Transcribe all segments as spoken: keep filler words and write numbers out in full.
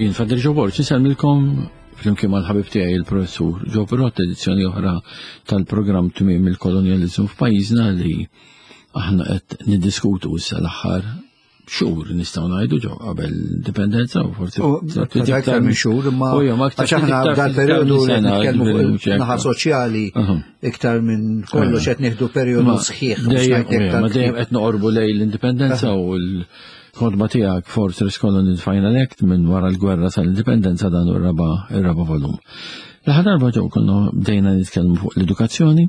Jien Father Joe Borg, insellmilkom flimkien mal-ħabib tiegħi il-professur Joe Perrott, edizzjoni oħra tal-programm Tmiem il-Kolonjaliżmu f'pajjiżna li aħna qed niddiskutu issa l-aħħar xhur, nistgħu ngħidu, ġo qabel l-indipendenza u forsi aktar minn xhur, imma għax aħna dal-perjodu li nitkellmu fuq naħa soċjali iktar minn kollox qed nieħdu perjodu sħiħ. Ma dejjem qed noqorbu lejn l-indipendenza u l-kotba tiegħek Fortress Colony Final Act minn wara l-gwerra sal-indipendenza, dan u r-raba ir-raba volum. L-aħħar darba, ġew, konna bdejna nitkellmu fuq l-edukazzjoni,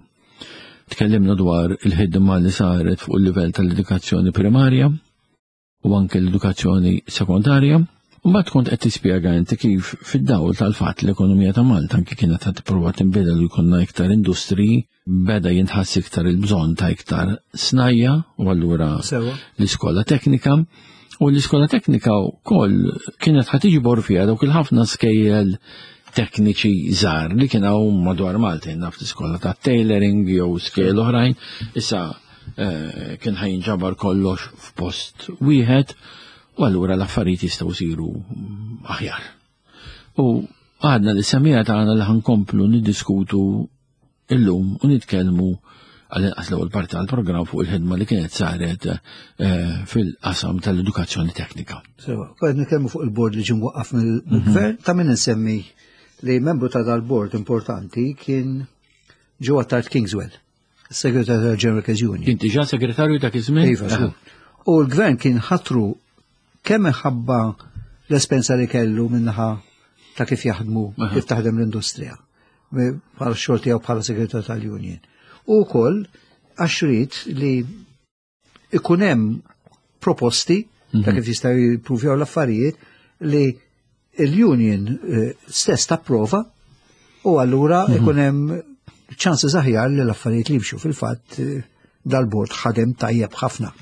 tkellimna dwar il-ħidma li saret fuq il-livell tal-edukazzjoni primarja u anke l-edukazzjoni sekondarja. Mbagħad kont qed tispjega inti kif fid-dawl tal-fatt l-ekonomija ta' Malta anke kienet qed tipprova tinbidel u jkollna iktar industriji, beda jinħass iktar il-bżonn ta' iktar snajja u allura l-iskola teknika. U l-iskola teknika wkoll kienet ħa tiġbor fiha dawk il-ħafna skejjel tekniċi żgħar li kien hawn madwar Malta, naf l-iskola ta' tailoring jew skejjel oħrajn. Issa eh, kien ħa jinġabar kollox f'post wieħed u allura l-affarijiet jistgħu jsiru aħjar. U għadna li semija tagħna li ħa nkomplu niddiskutu illum u nitkellmu għal-inqas l-ewwel parti tal-programm fuq il-ħidma li kienet saret eh, fil-qasam tal-edukazzjoni teknika. Sewa, qed nitkellmu fuq il-bord li ġie mwaqqaf mill-gvern, ta' min insemmi li membru ta' dal-bord importanti kien Joe Attard Kingswell, segretarju tal-General Workers Union. Kien diġà segretarju dak iż-żmien? Iva, żgur. U l-gvern kien ħatru kemm minħabba l-esperjenza li kellu minnaħa ta' kif jaħdmu, kif taħdem l-industrija, bħala xogħol tiegħu bħala segretarju tal-Union. U wkoll għax ried li ikun hemm proposti ta' kif jistgħu jippruvjaw l-affarijiet li l-union eh, stess tapprova u allura ikun hemm ċansi aħjar li l-affarijiet li jimxu. Fil-fatt eh, dal-bord ħadem tajjeb ħafna.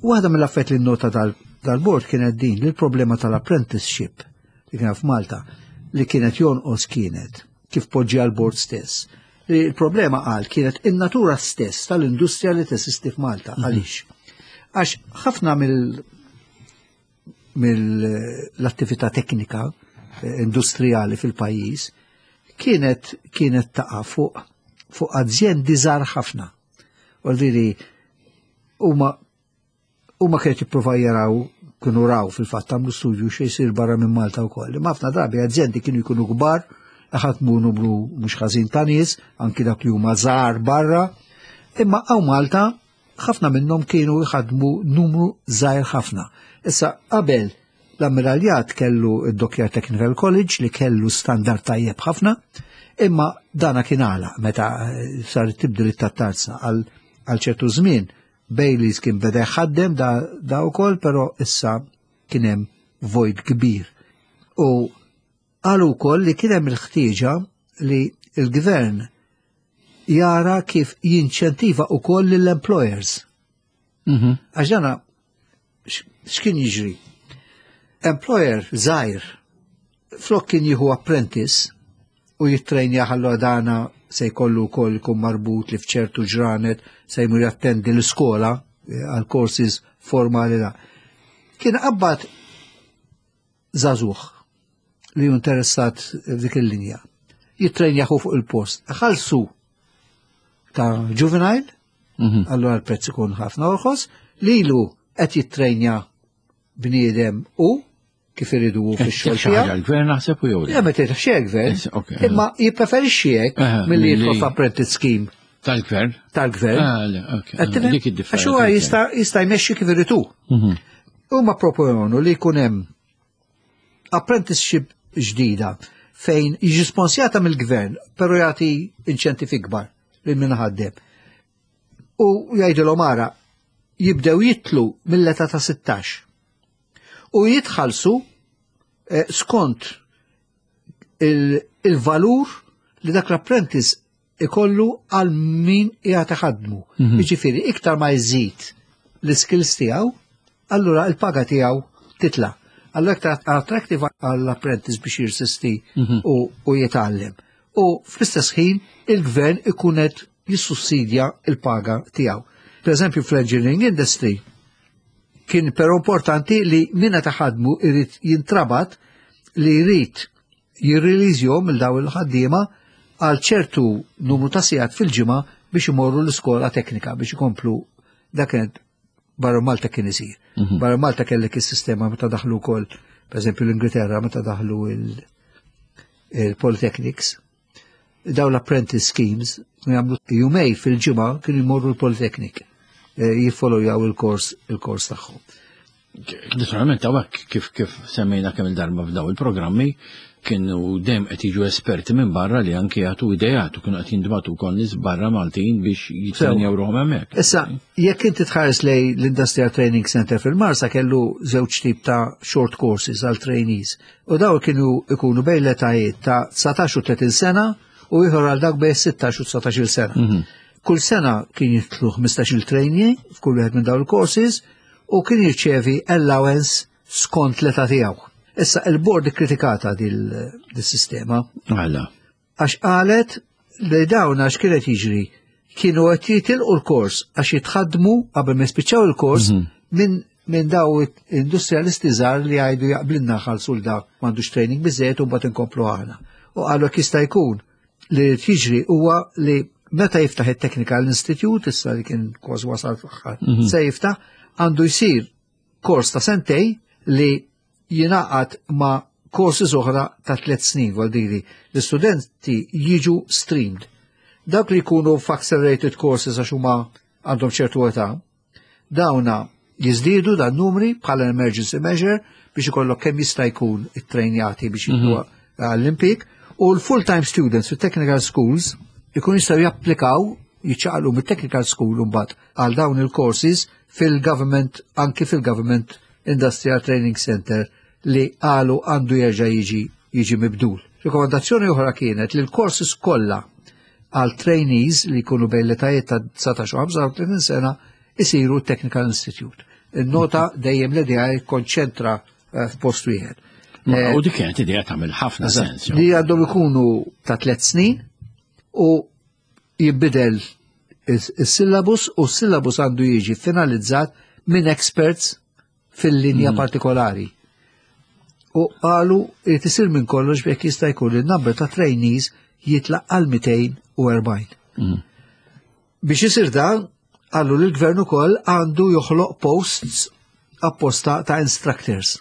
Waħda mill-affarijiet li nota dal-bord kienet din li l-problema tal-apprenticeship li kien f'Malta li kienet jonqos kienet kif poġġi għal-bord stess. Li l-problema, qal, kienet in-natura stess tal-industrija li teżisti f'Malta. Għaliex? Għax ħafna mill mill-attività teknika eh, industrijali fil-pajjiż kienet kienet taqa' fuq fuq azjendi żgħar ħafna. Għaldiri huma huma kienet jippruvaw jaraw, kienu raw fil-fatt, għamlu studju xi jsir barra minn Malta wkoll. Imma ħafna drabi azjendi kienu jkunu kbar, ħadmu numru mhux ħażin ta' nies, anki dak li huma żgħar barra. Imma hawn Malta ħafna minnhom kienu jħadmu numru żgħir ħafna. Issa, qabel l-Ammiraljat kellu id-Dockyard Technical College li kellu standard tajjeb ħafna, imma dana kien għala meta eh, sar tibdil it-tarzna għal għal ċertu żmien. Baileys kien beda jħaddem da, da wkoll, però issa kien hemm vojt kbir. U qalu wkoll li kien hemm il-ħtieġa li il-gvern jara kif jinċentiva wkoll lill-employers. Mhm. Għax dana x'kien jiġri? Employer żgħir flok kien jieħu apprentice u jittrejnja, ħallu dana se jkollu wkoll ikun marbut li f'ċertu ġranet se jmur jattendi l-iskola eh, għal courses formali da. Kien qabbad żagħżugħ li hu interessat f'dik il-linja. Jittrejnjahu fuq il-post. Ħalsu ta' juvenile, Mhm. allora l-prezz ikun ħafna orħos, lilu qed jittrejnja bniedem u kif iridu hu fix-xogħol Xi ħaġa tiegħu. l-gvern naħseb u jew le? Ja, ma tgħidx xejn gvern, Yes, ok. imma jippreferixxi hekk Aha, milli milli- jidħol f'apprentice scheme Tal-gvern? tal-gvern. Ah, le, ok. Qed tifhem? Dik id-differenza. Għax huwa jista' jista' jmexxi kif irid hu. Mhm. Huma proponu li jkun hemm apprenticeship ġdida fejn jiġi sponsjata mill-gvern, però jagħti inċentivi kbar lil min ħaddem. U jgħidilhom, ara, jibdew jitlu mill-età ta' sittax. U jitħallsu eh, skont il- il-valur li dak l-apprentice ikollu għal min qiegħed iħaddmu. Mhm. Jiġifieri iktar ma jżid l-skills tiegħu, allura il-paga tiegħu titla. Allura iktar attractive għall-apprentice biex jirsisti Mhm. u, u jitgħallem. U fl-istess ħin il-gvern ikun qed jissussidja il-paga tiegħu. Per eżempju, fl-engineering industry kien però importanti li minna taħadmu irid jintrabat li jrid jirreleasjhom lil daw il-ħaddiema għal ċertu numru ta' sigħat fil-ġimgħa biex imorru l-iskola teknika biex ikomplu. Dak kienet barra Malta kien isir. Mhm. Barra Malta kellek is-sistema meta daħlu wkoll, pereżempju l-Ingilterra, meta daħlu il-Polytechnics, daw l-apprentice schemes, jagħmlu jumejn fil-ġimgħa kienu jmorru l-Polytechnic, eh, jiffollowjaw il-kors il-kors tagħhom. Naturalment, hawnhekk kif kif semmejna kemm il-darba f'daw il-programmi, kienu dejjem qed jiġu esperti minn barra li anke jagħtu ideat u kienu qed jintbagħtu wkoll nies barra Maltin biex jitrenjaw ruħhom hemmhekk. Issa, jekk inti tħares lej l-Industrial Training Center fil-Marsa, kellu żewġ tip ta' short courses għal trainees. U daw kienu ikunu bejn l-etajiet ta' dsatax u tletin sena u ieħor għal dak bejn sittax u dsatax-il sena. Mhm. Kull sena kien jitlu ħmistax-il trainee f'kull wieħed minn dawn il-courses u kien jirċevi allowance skont l-età tiegħu. Issa, il-board ikkritikata dil-sistema Għala. għax qalet li dawn għax kienet jiġri kienu qed jitilqu l-kors għax jitħaddmu qabel ma jispiċċaw il-kors Mhm. minn minn daw industrialisti żgħar li jgħidu jaqblilna ħalsu l dak m'għandux training biżejjed u mbagħad inkomplu aħna. U qalu jekk jista' jkun li jiġri huwa li meta jiftaħ it-Technical Institute, issa li kien kważi wasal fl-aħħar, Mhm. se jiftaħ, għandu jsir kors ta' sentejn li jingħaqad ma' courses oħra ta' tliet snin, vuol dire l-istudenti jiġu streamed. Dawk li jkunu f'accelerated courses għax huma għandhom ċertu età, dawna jiżdiedu dan numri bħala emergency measure biex ikollok kemm jista' jkun it-trejnjati biex jidħlu għall-impjieg, u l-full-time students fit technical schools ikun jistgħu japplikaw, jiċċaqalqu mit-technical school mbagħad għal dawn il-courses fil-government, anki fil-Government Industrial Training Center li qalu għandu jerġa' jiġi jiġi mibdul. Rekomandazzjoni oħra kienet li l-courses kollha għal trainees li jkunu bejn l-etajiet ta' dsatax u ħamsa u tletin sena isiru Technical Institute. Il-nota dejjem l-idea konċentra eh, f'post wieħed. Ma- Eh, U dik kienet idea tagħmel ħafna sens. jo. Li għandhom ikunu ta' tliet snin u jibbidel is-syllabus u s-syllabus għandu jiġi finalizzat minn experts fil-linja partikolari. U qalu li tisir minn kollox biex jista' jkun il-number ta' trainees jitla' għal mitejn u erbgħin. Mhm. Biex isir dan, qalu li l-gvern ukoll għandu joħloq posts apposta ta' instructors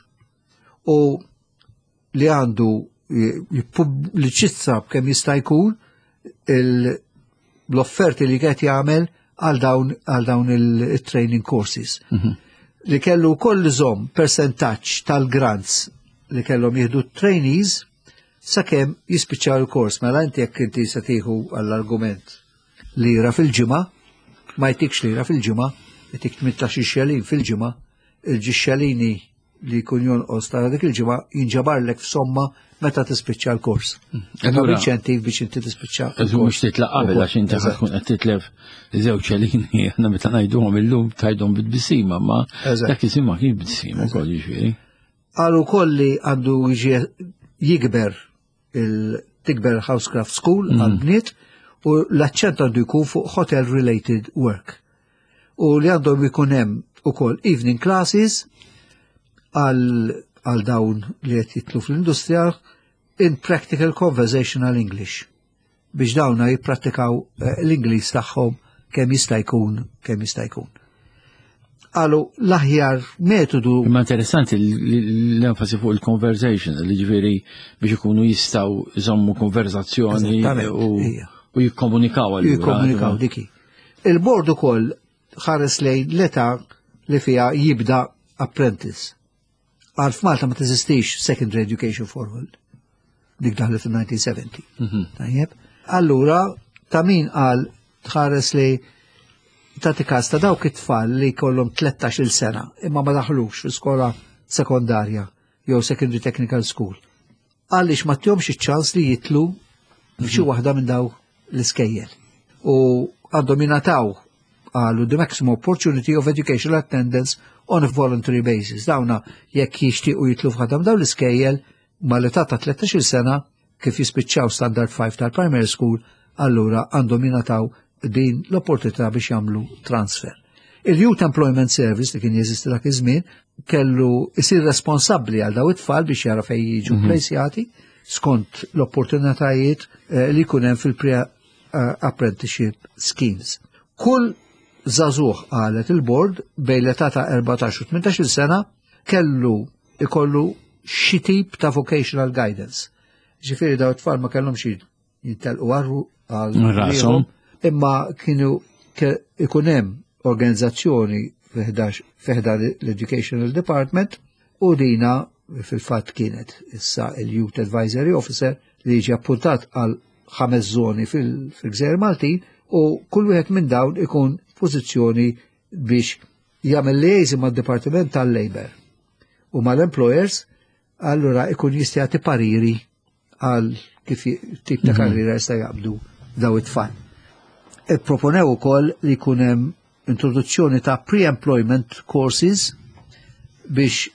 u li għandu jippubbliċizza b'kemm jista' jkun il- l-offerti li qed jagħmel għal dawn għal dawn il-training courses. Li kellu wkoll iżomm percentaġġ tal-grants li kellhom jieħdu trainees sakemm jispiċċaw il-kors. Mela inti jekk inti se tieħu għall-argument lira fil-ġimgħa, ma jtikx lira fil-ġimgħa, jtik tmintax xelin fil-ġimgħa, il-ġixxelini li jkun jonqos ta' dik il-ġimgħa jinġabarlek f'somma meta tispiċċa l-kors. Allura- Inċentiv biex inti tispiċċa. Eżu mhux titlaq qabel għax inti Eżatt. tkun qed titlef żewġ xelini, aħna meta ngħiduhom illum tgħidhom bit-tbissima, ma Eżatt. dak iż ma kien bit-tbissima wkoll, jiġifieri. Qalu wkoll li għandu jiġi jikber il tikber Housecraft School Mhm. għal bniet u l-aċċent għandu jkun fuq hotel related work. U li għandhom jkun hemm ukoll evening classes għal għal dawn li qed jitlu fl-industrija in practical conversational English biex dawna jipprattikaw eh, l-Ingliż tagħhom kemm jista' jkun kemm jista' jkun. Qalu l-aħjar metodu. Imma interessanti l- l-enfasi fuq il-conversation, li ġifieri biex ikunu jistgħu jżommu konverzazzjoni Eżattament, u ija. u jikkomunikaw allura. Jikkomunikaw diki. Il-board ukoll ħares lejn l-età li fiha jibda apprentice. Għal f'Malta ma teżistix secondary education for all. Dik daħlet fil-elf disa' mija u sebgħin. Mhm. Tajjeb. Allura, ta' min qal tħares li ta' każ ta' dawk it-tfal li kollhom tlettax-il sena imma ma daħlux fi skola sekondarja jew secondary technical school. Għaliex ma ttihomx iċ-ċans li jitlu f'xi waħda minn daw l-iskejjel. U għandhom jingħataw, qalu, the maximum opportunity of educational attendance on a voluntary basis. Dawna jekk jixtiequ jitlu f'ħadam dawn l-iskejjel mal-età ta' tlettax-il sena kif jispiċċaw standard five tal-primary school, allura għandhom jingħataw din l-opportunità biex jagħmlu transfer. Il-Youth Employment Service li kien jeżisti dak iż-żmien kellu isir responsabbli għal daw it-tfal biex jara fejn jiġu mm -hmm. skont l-opportunitajiet eh, li jkun hemm fil-pre-apprenticeship schemes. Kull żagħżugħ, qalet il-board, bejn l-età ta' erbatax u tmintax-il sena kellu ikollu xi tip ta' vocational guidance. Ġifieri daw it-tfal ma kellhomx jintelqu għarru għal rashom, imma kienu ikun hemm organizzazzjoni fi ħdan l-Educational Department u dina fil-fatt kienet issa il-Youth Advisory Officer li jiġi appuntat għal ħames zoni fil-Gżejjer Maltin u kull wieħed minn dawn ikun pożizzjoni biex jagħmel liaison mad-Dipartiment tal-Labor u mal-employers, allura ikun jista' jagħti pariri għal kif tip ta' mhm. karriera jista' jaqbdu daw it-tfal. Proponew ukoll li jkun hemm introduzzjoni ta' pre-employment courses biex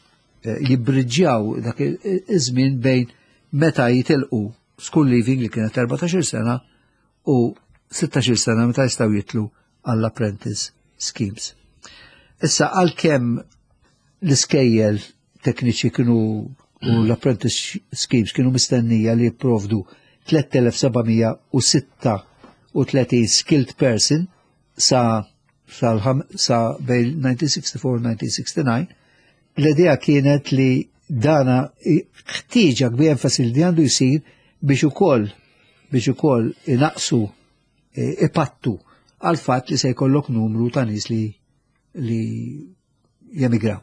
eh, jibbriġġjaw dak iż-żmien bejn meta jitilqu school leaving, li kienet erbatax-il sena, u sittax-il sena meta jistgħu jitlu għall-apprentice schemes. Issa, għalkemm l-iskejjel tekniċi kienu u l-apprentice schemes kienu mistennija li jipprovdu tliet elef u seba' mija u sitta u tletin skilled person sa sa, sa bejn elf disa' mija u sittaħax u elf disa' mija u sittaħax, l-idea kienet li dana ħtieġa kbir enfasi li għandu jisir biex ukoll biex ukoll inaqsu, e, ipattu għal fatt li se jkollok numru ta' nies li li jemigraw.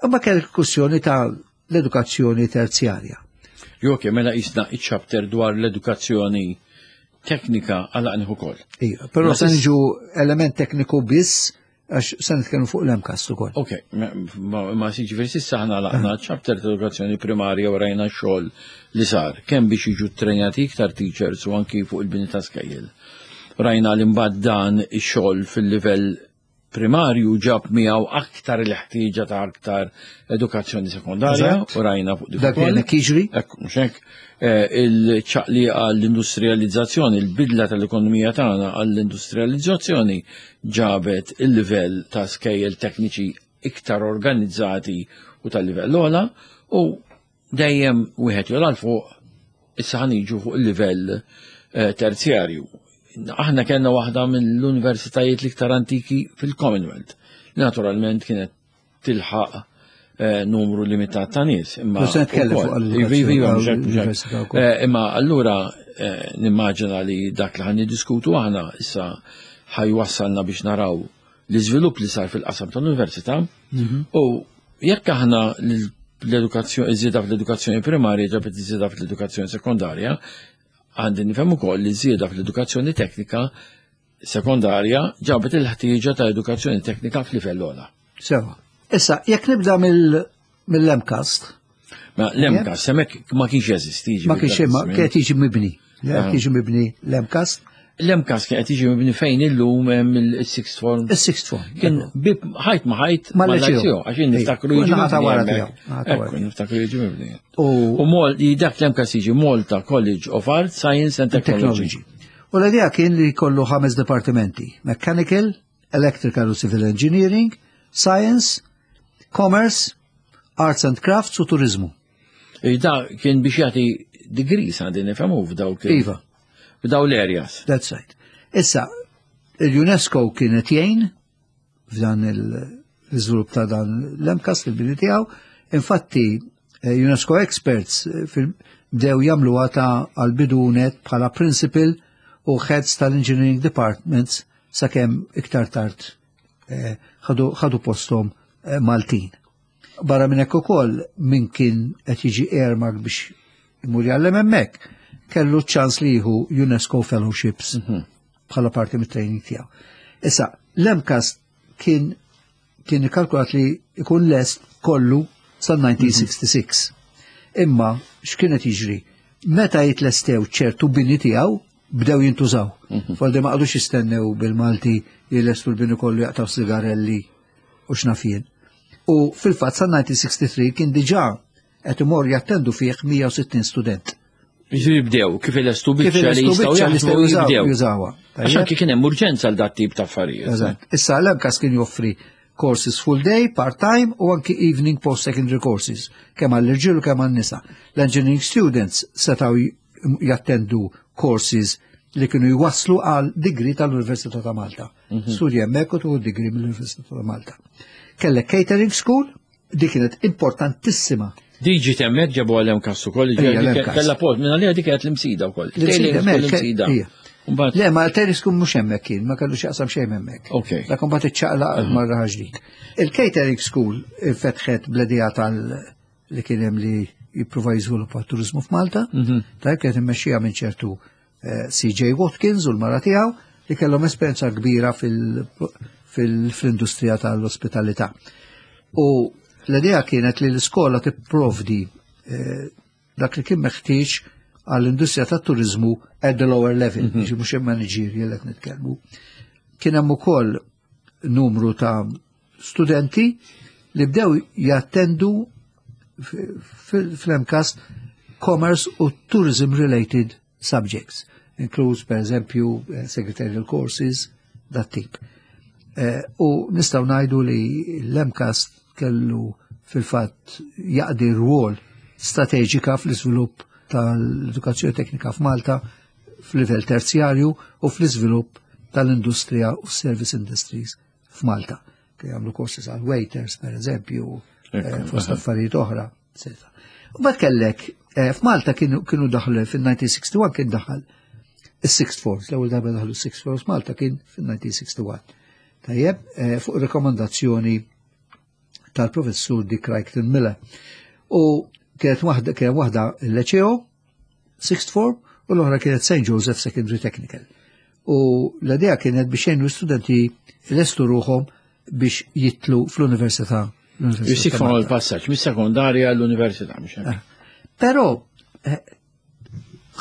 Imma kell kwestjoni ta' l-edukazzjoni terzjarja. Ok, mela jisna iċ-chapter dwar l-edukazzjoni teknika għalaqnieh ukoll. Iva, però se niġu element tekniku biss għax se nitkellmu fuq l-MCAST ukoll. Ok, ma, ma ġifieri s'issa aħna għalaqna chapter ta' edukazzjoni primarja u rajna xogħol li sar, kemm biex jiġu trenjati iktar teachers u anki fuq il-bini ta' skejjel. Rajna li mbagħad dan ix-xogħol fil-livell primarju ġab miegħu aktar il-ħtieġa ta' aktar edukazzjoni sekondarja u rajna fuq dik. Dak li jiġri. Ekku, mhux hekk, eh, il-ċaqli għall-industrializzazzjoni, il-bidla tal-ekonomija tagħna għall-industrializzazzjoni ġabet il-livell ta' skejjel tekniċi iktar organizzati u tal-livell ogħla u dejjem wieħed jogħla fuq. Issa ħa niġu fuq il-livell eh, terzjarju. Aħna kellna waħda mill-universitajiet l-iktar antiki fil-Commonwealth. Naturalment kienet tilħaq eh, numru limitat ta' nies. Imma eh, imma allura eh, nimmaġina li dak li ħa niddiskutu aħna issa ħa jwassalna biex naraw l-iżvilupp li sar fil-qasam tal-università mhm. u jekk aħna l-edukazzjoni, iż-żieda fl-edukazzjoni primarja ġabet iż-żieda fl-edukazzjoni sekondarja, għandi nifhem ukoll li żieda fl-edukazzjoni teknika sekondarja ġabet il-ħtieġa ta' edukazzjoni teknika f'livell ogħla. Sewa. Issa, jekk nibda mill-MCAST. Ma l-MCAST, hemmhekk ma kienx jeżisti. Ma kienx, ma kien jiġi mibni. Ah. Jiġi mibni l-MCAST. L-MCAST kien qed jiġi mibni fejn illum hemm il-sixth form. Il-sixth form. Kien bib ħajt ma ħajt mal-liceo. Għax jien niftakru jiġi mibni. Niftakru jiġi mibni. U mol dak l-MCAST jiġi Malta College of Arts, Science and Technology. U l-idea kien li kollu ħames departimenti: Mechanical, Electrical u Civil Engineering, Science, Commerce, Arts and Crafts u Turizmu. Da kien biex jagħti degrees, għandi nifhemu, f'dawk. Iva. F'daw l-areas. That's right. Issa, il-UNESCO kienet jgħin f'dan l-iżvilupp ta' dan l-MCAST, il-bini tiegħu. Infatti, eh, UNESCO experts eh, bdew jagħmlu ta' għal-bidunet bħala principal u heads tal-engineering departments, sakemm iktar tard eh, ħadu postom Maltin. Barra minn hekk ukoll, min kien qed jiġi earmark biex imur jgħallem hemmhekk kellu ċans li jieħu UNESCO Fellowships mhm. bħala parti mit-training tiegħu. Issa, l-MCAST kien kien ikkalkulat li ikun lest kollu sal-elf disa' mija u sittaħax. Imma x'kienet jiġri? Meta jitlestew ċertu bini tiegħu, bdew jintużaw. Mhm. Foldi ma qagħdux jistennew, bil-Malti, jilestu l-bini kollu, jaqtaw sigarelli u x'naf jien. U fil-fatt sal-elf disa' mija u tlieta u sittin kien diġà qed imur jattendu fih mija u sittin student. Jiġifieri bdew, kif ilestu Kif biċċa li ilestu jistgħu biċċa li jaħdmu jistgħu jużaw- jibdew. jużawha. Għax anki kien hemm urġenza għal dat tip ta' affarijiet. Eżatt. Issa l-M C A S kien joffri courses full day, part-time u anki evening post-secondary courses, kemm għall-irġiel u kemm għall-nisa. L-engineering students setaw jattendu courses li kienu jwaslu għal degree tal-Università ta' Malta. Studji hemmhekk u tieħu degree mill-Università ta' Malta. Kellek catering school, dik kienet importantissima. Diġi temmek ġabu għal-M C A S ukoll, Ija, l-M C A S. kella post, minna li dik kienet l-Imsida wkoll. L-Imsida, Tailoring mek, school l-Imsida. ija. Mbagħad- Le, ma l-catering school mhux hemmhekk kien, ma kellu x'jaqsam xejn hemmhekk. Ok. Dak imbagħad iċċaqlaq marra ġdid. Il-catering school fetħet bl-idea tal li kien hemm li jippruva jiżviluppa turizmu f'Malta. Tajb, kienet immexxija minn ċertu eh, C J Watkins u l-mara tiegħu li kellhom esperjenza kbira fil- fil- fl-industrija tal-ospitalità. U l-idea kienet li l-iskola tipprovdi eh, dak li kien meħtieġ għall-industrija tat-turizmu at the lower level, mm -hmm. mhux managerial qed nitkellmu. Kien hemm ukoll numru ta' studenti li bdew jattendu fl-M C A S commerce u tourism related subjects, inkluż per eżempju eh, secretarial courses, dat tip. Eh, u nistgħu ngħidu li l-M C A S kellu fil-fatt jaqdi rwol strateġika fl-iżvilupp tal-edukazzjoni teknika f'Malta f'livell terzjarju u fl-iżvilupp tal-industrija u service industries f'Malta. Kien jagħmlu courses għal waiters, per eżempju, eh, fost affarijiet oħra, eccetera. U mbagħad kellek eh, f'Malta kienu kienu daħlu fil-elf disa' mija u wieħed u sittin, kien daħal is-sixth forms, l-ewwel darba daħlu s-sixth forms Malta kien fil-elf disa' mija u wieħed u sittin. Tajjeb, eh, fuq rekomandazzjoni tal-professur Dick Crichton Miller. U kienet waħda kienet waħda il-Liceo, sixth form, u l-oħra kienet Saint Joseph Secondary Technical. U l-idea kienet biex jgħinu studenti jlestu ruħhom biex jidħlu fl-università. L-Università Jisik ta' fuq Malta. il-passaġġ mis-sekondarja l-università, mhux hekk? Però eh,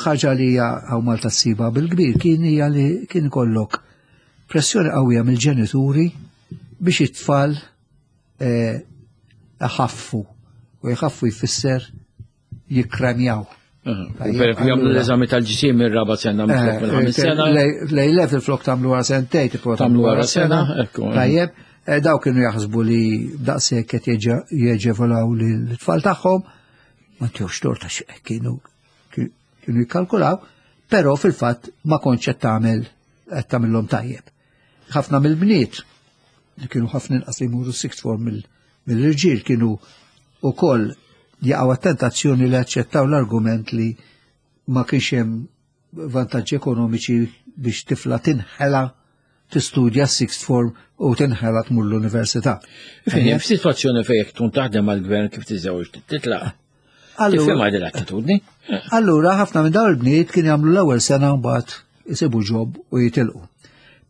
ħaġa li hija hawn Malta ssiba bil-kbir kien hija li kien ikollok pressjoni qawwija mill-ġenituri biex it-tfal eh, iħaffu, u jħaffu jfisser jikkremjaw. U per jagħmlu Allura- l-eżami tal-ġisim mir-raba sena minflok mill-ħames sena. L-A level flok tagħmlu wara sentejn, tipo Tagħmlu wara sena, ekku. Tajjeb, eh, daw kienu jaħsbu li daqshekk qed jeġa- jeġevolaw l-tfal tagħhom, ma tjux torta, kienu kienu jikkalkulaw, però fil-fatt ma kontx qed tagħmel qed tagħmilhom tajjeb. Ħafna mill-bniet li kienu ħafna inqas li jmuru sixth form mill- mill-irġiel kienu ukoll jaqgħu għat-tentazzjoni li aċċettaw l-argument li ma kienx hemm vantaġġi ekonomiċi biex tifla tinħela tistudja sixth form u tinħela tmur l-università. Fini, f'sitwazzjoni fejn jekk tkun taħdem għall-gvern kif tiżewġ titlaq. Allura, Tifhem din l-attitudni? allura ħafna minn dawn il-bniet kien jagħmlu l-ewwel sena, mbagħad isibu job u jitilqu.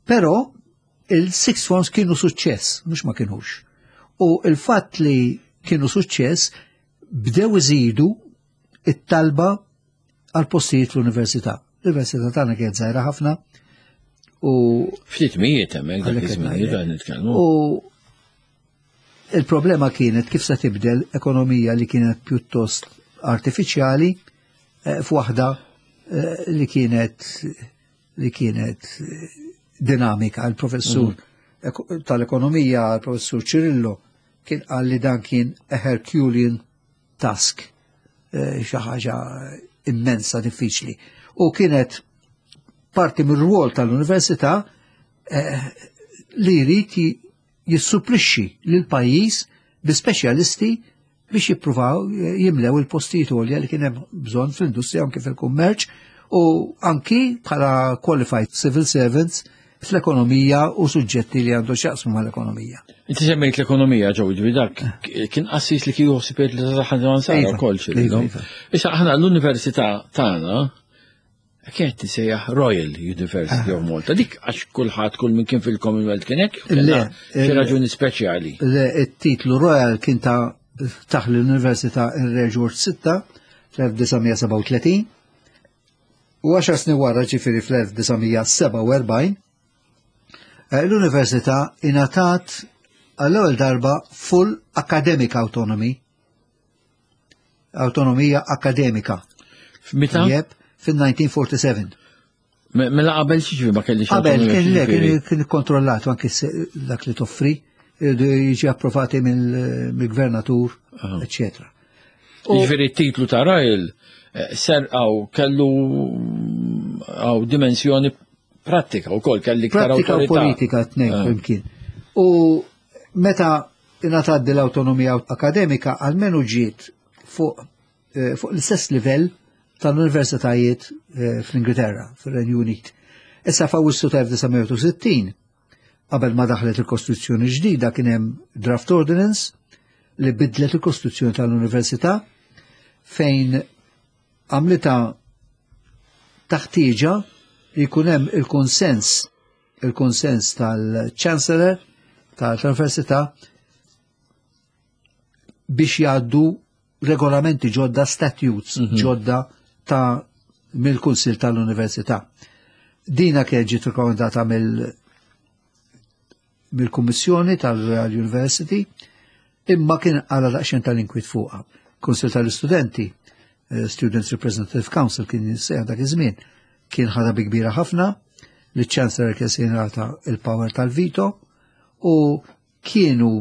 Però il-sixth forms kienu suċċess, mhux ma kienux. U il-fatt li kienu suċċess bdew iżidu it-talba għal postijiet fl-università. L-università tagħna kienet żgħira ħafna u Ftit mijiet hemmhekk dak Għalhekk qed iż-żmien ngħidlek. qed nitkellmu. U il-problema kienet kif se tibdel ekonomija li kienet pjuttost artifiċjali eh, f'waħda eh, li kienet li kienet eh, dinamika. Il-professur eko- tal-ekonomija, il-professur Cirillo, kien qal li dan kien a Herculean task, eh, xi ħaġa immensa diffiċli. U kienet parti mir-rwol tal-università eh, li jrid ji- jissupplixxi lil pajjiż bi speċjalisti biex jippruvaw jimlew il-postijiet għolja li kien hemm bżonn fl-industrija, anki fil-kummerċ u anki bħala qualified civil servants fl-ekonomija u suġġetti li għandu x'jaqsmu mal-ekonomija. Inti semmejt l-ekonomija ġew, ġifieri dak kien qassis li kieku ħsibiet li taħħan sara Iva, wkoll iva, iva. Issa aħna l-università tagħna kienet tisejjaħ Royal University of Malta. Dik għax kulħadd, kull min kien fil-Commonwealth kien hekk? Le, Xi il- raġuni speċjali. Le, it-titlu Royal kien ta' taħ l-Università ir-Re George sitta fl-elf disa' mija sebgħa u tletin u għaxar snin wara, ġifieri fl-elf disa' mija sebgħa u erbgħin, eh, l-Università ingħatat għall-ewwel darba full academic autonomy, autonomija akademika. Meta? Jep, fil-elf disa' mija u erbgħa u erbgħin. Mela qabel xi ma kellix Qabel kien le, kien kien kontrollat anke dak li toffri, iridu jiġi approvati mill-gvernatur, eccetera. Jiġifieri t-titlu ta' Royal eh, ser għaw kellu għaw dimensjoni pratika u kol kelli iktar Pratika u awtorità. Politika t-tnejn Ah. flimkien. U meta ingħatat l-autonomija akademika, almenu ġiet fuq eh, fuq l-istess livell tal-universitajiet eh, fl-Ingilterra, fil-Renju Unit. Issa f'Awwissu ta' elf disa' mija u sittin, qabel ma daħlet il-Kostituzzjoni ġdida, kien hemm draft ordinance li bidlet il-Kostituzzjoni tal-Università fejn għamlita taħtieġa li jkun hemm il-konsens il-konsens tal-Chancellor tal-Università biex jgħaddu regolamenti ġodda, statutes ġodda ta' mill-Kunsil tal-Università. Dina kienet ġiet rekomendata mill mill-Kummissjoni tal-Royal University, imma kien għala daqsxejn tal-inkwit fuqha. Kunsil tal-Istudenti, eh, Students Representative Council kien jissejjaħ dak iż-żmien, kien ħadha bi kbira ħafna li Chancellor kien se jingħata il-power tal-veto u kienu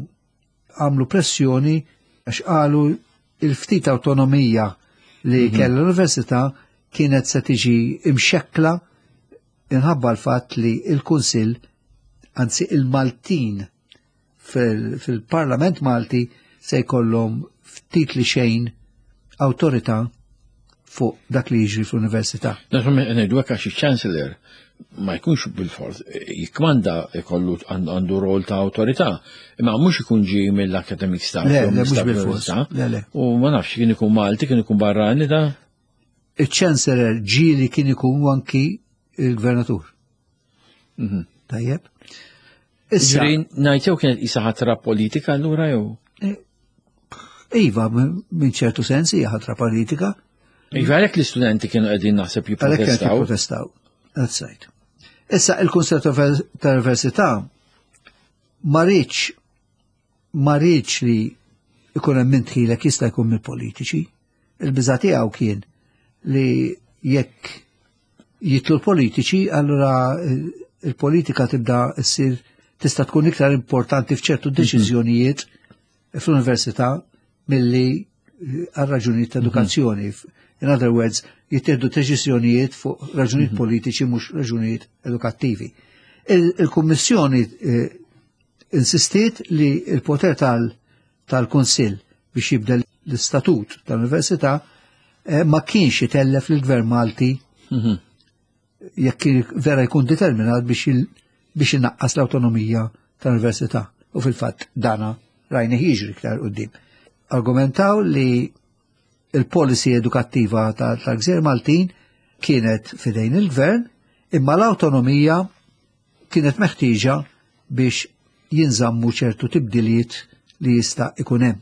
għamlu pressjoni għax qalu il-ftit autonomija li kellha l-università kienet se tiġi imxekkla inħabba l-fatt li il-Kunsill, anzi il-Maltin fil- fil-Parlament Malti, se jkollhom ftit li xejn awtorità fuq dak li jiġri fl-università. Naturalment ngħidu hekk għax il-Chancellor ma jkunx bil-fors jikmanda, ikollu għandu rol ta' awtorità, imma mhux ikun ġi mill-academic staff. Le, jew le, mhux mill-staff bil-fors. tal-università. Le, le. U ma nafx, kien ikun Malti, kien ikun barrani da. Il-Chancellor ġieli kien ikun anki il-gvernatur. Mhm. Tajjeb. Issa, Ġifieri ngħid jew kienet isa ħatra politika allura jew? Iva, minn ċertu sens hija ħatra politika. Iva, għalhekk l-istudenti kienu qegħdin naħseb Għalhekk kienet jipprotestaw. jipprotestaw. That's right. Issa il-Kunsill tal-Università ma riedx ma riedx li ikun hemm min tħilek jista' jkun mill-politiċi. Il-biża' tiegħu kien li jekk jitlu l-politiċi, allura il-politika tibda ssir tista' tkun iktar importanti f'ċertu deċiżjonijiet fl-università milli għal raġunijiet ta' edukazzjoni. In other words, jittieħdu deċiżjonijiet fuq raġunijiet politiċi, mhux raġunijiet edukattivi. Il-Kummissjoni eh, insistiet li il-poter tal-Kunsill biex jibdel l-istatut tal-Università eh, ma kienx itellef lill-Gvern Malti Mhm. jekk kien vera jkun determinat biex il- biex inaqqas l-autonomija tal-università. U fil-fatt dana rajna jiġri iktar quddiem. Argumentaw li il-policy edukattiva tal-Gżejjer Maltin kienet fidejn il-gvern, imma l-autonomija kienet meħtieġa biex jinżammu ċertu tibdiliet li jista' ikun hemm.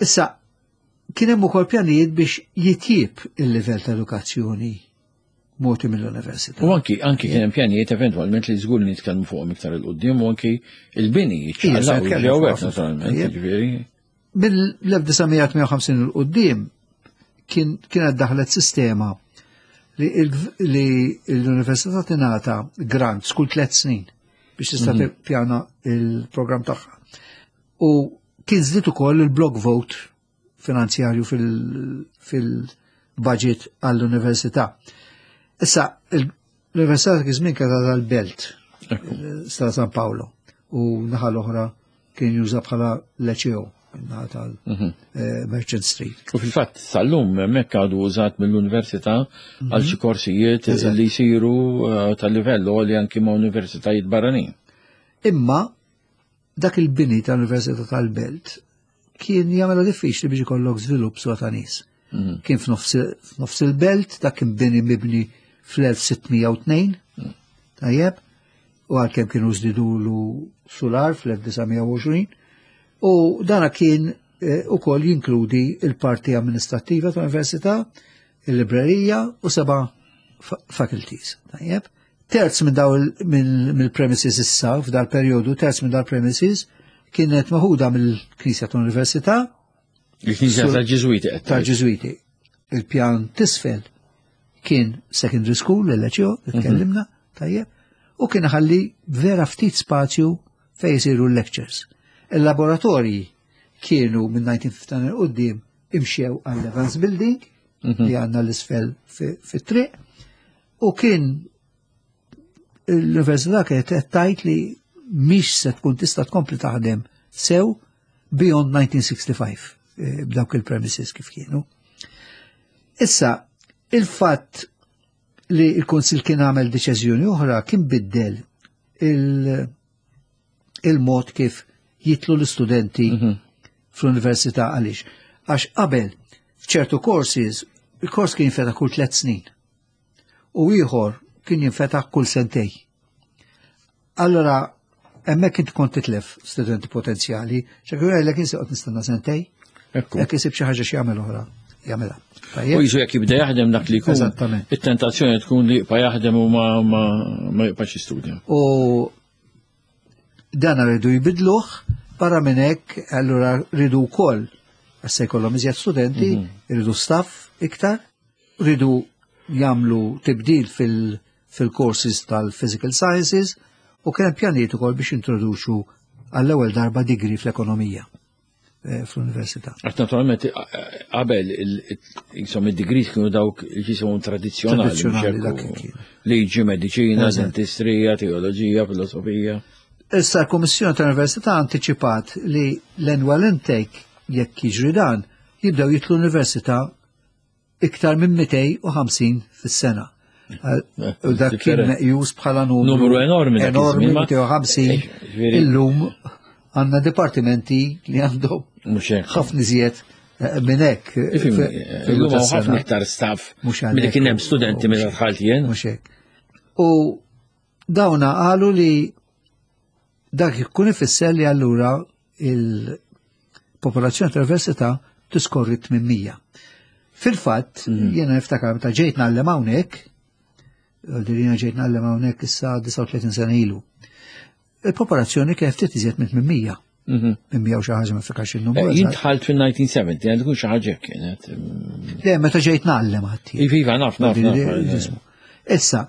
Issa, kien hemm ukoll pjanijiet biex jitjib il-livell ta' edukazzjoni mogħti mill-università. U anki anki kien hemm pjanijiet eventwalment li żgur nitkellmu fuqhom iktar 'il quddiem u anki il-bini Ija, se jiċċaqlaq u nitkellmu ġew fuq hekk ħafna. naturalment, Ija. jiġifieri. Mill-elf disa' mija u tmienja u ħamsin 'il quddiem kien kienet daħlet sistema li il- li l-università tingħata grants kull tliet snin biex tista' tippjana il-programm tagħha. U kien żdied ukoll il-block vote finanzjarju fil- fil-budget għall-università. Issa, l-università dak iż-żmien kienet tal-Belt, Strada San Paolo, u naħa l-oħra kien juża bħala Liceo, naħa tal-Merchant Street. U fil-fatt sal-lum hemmhekk għadu użat mill-università għal xi korsijiet Eżatt. li jsiru eh, tal-livell li anki ma' universitajiet barranin. Imma dak il-bini tal-Università tal-Belt kien jagħmilha diffiċli biex ikollok żvilupp swa ta' nies. Kien f'nofs f'nofs il-belt, dak kien bini mibni fl-elf sitt mija u tnejn, tajjeb, u għalkemm kienu żdidulu solar fl-elf disa' mija u għoxrin, u dana kien eh, ukoll jinkludi il-parti amministrattiva tal-università, il-librerija u seba' fa- faculties. Tajjeb. Terz minn daw il- minn- mill-premises issa, f'dal periodu, terz minn dal premises kienet maħuda mill-Knisja tal-Università Il-Knisja Sur- tal-Ġiżwiti qed tgħid. tal-Ġiżwiti. Il-pjan t'isfel kien secondary school, l-L H O, li tkellimna, tajjeb, u kien ħalli vera ftit spazju fej jisiru l-lectures. Il-laboratorji kienu minn elf disa' mija u ħamsa u tmenin quddiem imxew għall Evans Building li għandna l-isfel fit-triq u kien l-università kienet qed tgħid li mhix se tkun tista' tkompli taħdem sew beyond elf disa' mija u ħamsa u sittin eh, b'dawk il-premises kif kienu. Issa, il-fatt li il-Kunsil kien għamel deċiżjoni oħra kien biddel il- il-mod kif jidħlu l-istudenti fl-università. Għaliex? Għax qabel, f'ċertu courses, il-kors kien jinfetaħ kull tliet snin. U ieħor kien jinfetaħ kull sentej. Allora, hemmhekk inti kont titlef studenti potenzjali, ċekku jgħidlek insi qed nistenna sentej, Ekku. jekk isib xi ħaġa xi jagħmel oħra, jagħmilha. U Tajjeb? jisu jekk jibda jaħdem dak li jkun. Eżattament. It-tentazzjoni tkun li jibqa' jaħdem u ma ma ma jibqax jistudja. U dan rridu jbidluh, barra minn hekk allura rridu wkoll għax se jkollhom iżjed studenti, rridu staff iktar, rridu jagħmlu tibdil fil- fil-courses tal-physical sciences u kien hemm pjanijiet ukoll biex introduċu għall-ewwel darba degree fl-ekonomija eh, fl-università. Għax naturalment qabel insomma id-degrees kienu dawk li jisimhom tradizzjonali, mhux Tradizzjonali, hekk, dak kien. liġi, mediċina, Eżatt. dentistrija, teoloġija, filosofija. Issa l-Kummissjoni tal-Università anticipat li l-annual intake, jekk jiġri dan, jibdew jidħlu l-università iktar minn mitejn u ħamsin fis-sena. Eh, U dak kien different. meqjus bħala numru Numru enormi dak Enormi, iż-żmien, ma- mitejn u ħamsin. Eh, ġifieri- Illum għandna dipartimenti li għandhom Mhux hekk. ħafna iżjed eh, minn hekk. Ifhimni, fi- illum hawn tas-sena. ħafna iktar staff Mhux milli għalhekk. kien hemm studenti meta dħalt jien. Mhux hekk. U dawna qalu li dak ikun ifisser li allura il-popolazzjoni tal-università tiskorri tmien mija. Fil-fatt, jiena niftakar meta ġejt ngħallem hawnhekk, jiena ġejt ngħallem hawnhekk issa disgħa u tletin sena ilu. Il-popolazzjoni kienet ftit iżjed minn tmien mija. Mhm. tmien mija u xi ħaġa, ma niftakarx il-numru. Eh, Jien eżatt. dħalt fil-elf disa' mija u sebgħin, għandu tkun xi ħaġa hekk kienet. Le, meta ġejt ngħallem għatti. Iva, iva, naf, naf, naf. Issa,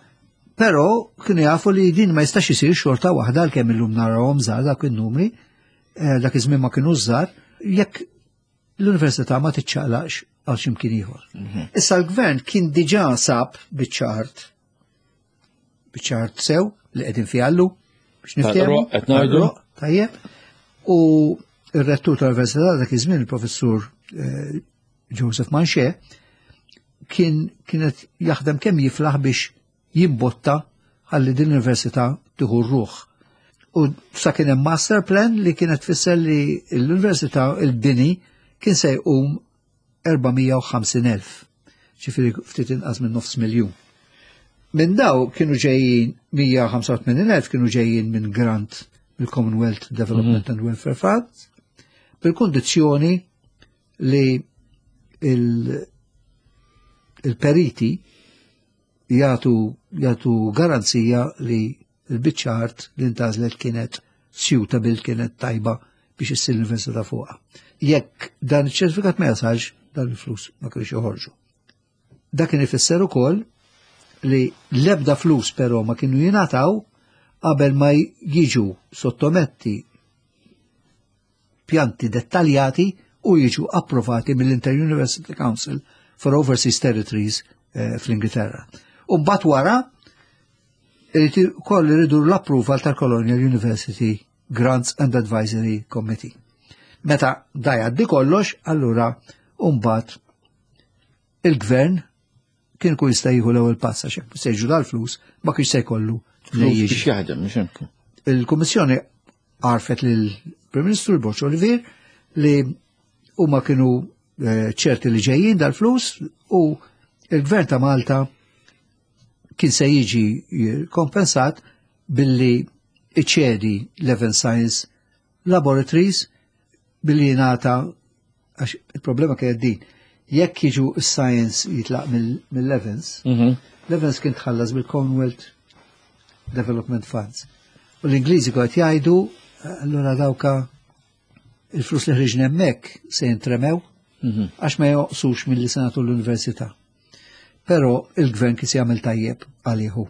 però kienu jafu li din ma jistax isir xorta waħda, għalkemm illum narawhom żgħar dak in-numri, eh, dak iż-żmien ma kienu żgħar, jekk l-università ma tiċċaqlaqx għal x'imkien ieħor. Issa l-gvern kien diġà sab biċċa art, biċċa art sew li qegħdin fiha llum biex niftehmu. Tal-Roq, qed ngħidu? Tal-Roq, tajjeb. U il-rettur tal-università dak iż-żmien, il-professur eh, Joseph Manché, kien kienet jaħdem kemm jiflaħ biex jimbotta ħalli din l-università tieħu r-ruħ. U sa kien hemm master plan li kienet tfisser li l-università, il-bini kien se jqum erba' mija u ħamsin elf. Ġifieri ftit inqas minn nofs miljun. Minn daw kienu ġejjin mija u ħamsa u tmenin elf kienu ġejjin minn grant mill-Commonwealth Development and Welfare Fund bil-kondizzjoni li il- il-periti jagħtu jagħtu garanzija li l-biċċa art li ntgħażlet kienet suitable, kienet tajba biex issir l-università fuqha. Jekk dan iċ-ċertifikat ma jasalx, dan il-flus ma kienx joħorġu. Dak kien ifisser ukoll li l-ebda flus però ma kienu jingħataw qabel ma jiġu sottometti pjanti dettaljati u jiġu approvati mill-Inter-University Council for Overseas Territories eh, fl-Ingilterra. U mbagħad wara irid ukoll iridu l-approval tal-Colonial University Grants and Advisory Committee. Meta da jgħaddi kollox, allura mbagħad il-gvern kien kun jista' jieħu l-ewwel pass, għax jekk se jiġu dal-flus ma kienx se jkollu Flus jiġi. biex jaħdem, mhux hekk. Il-Kummissjoni għarfet lill-Prim Ministru Borg Olivier li huma kienu eh, ċerti li ġejjin dal-flus u il-Gvern ta' Malta kien se jiġi kompensat billi iċedi l-Evans Science Laboratories, billi jingħata, għax il-problema kienet din, jekk jiġu s-science jitlaq mill-Evans, Mhm. l-Evans kien tħallas bil-Commonwealth Development Funds. U l-Ingliżi kont jgħidu, allura dawka il-flus li ħriġna hemmhekk se jintremew. Għax ma joqsux mill-li senatu l-università. Però il-gvern kien se jagħmel tajjeb għalihu.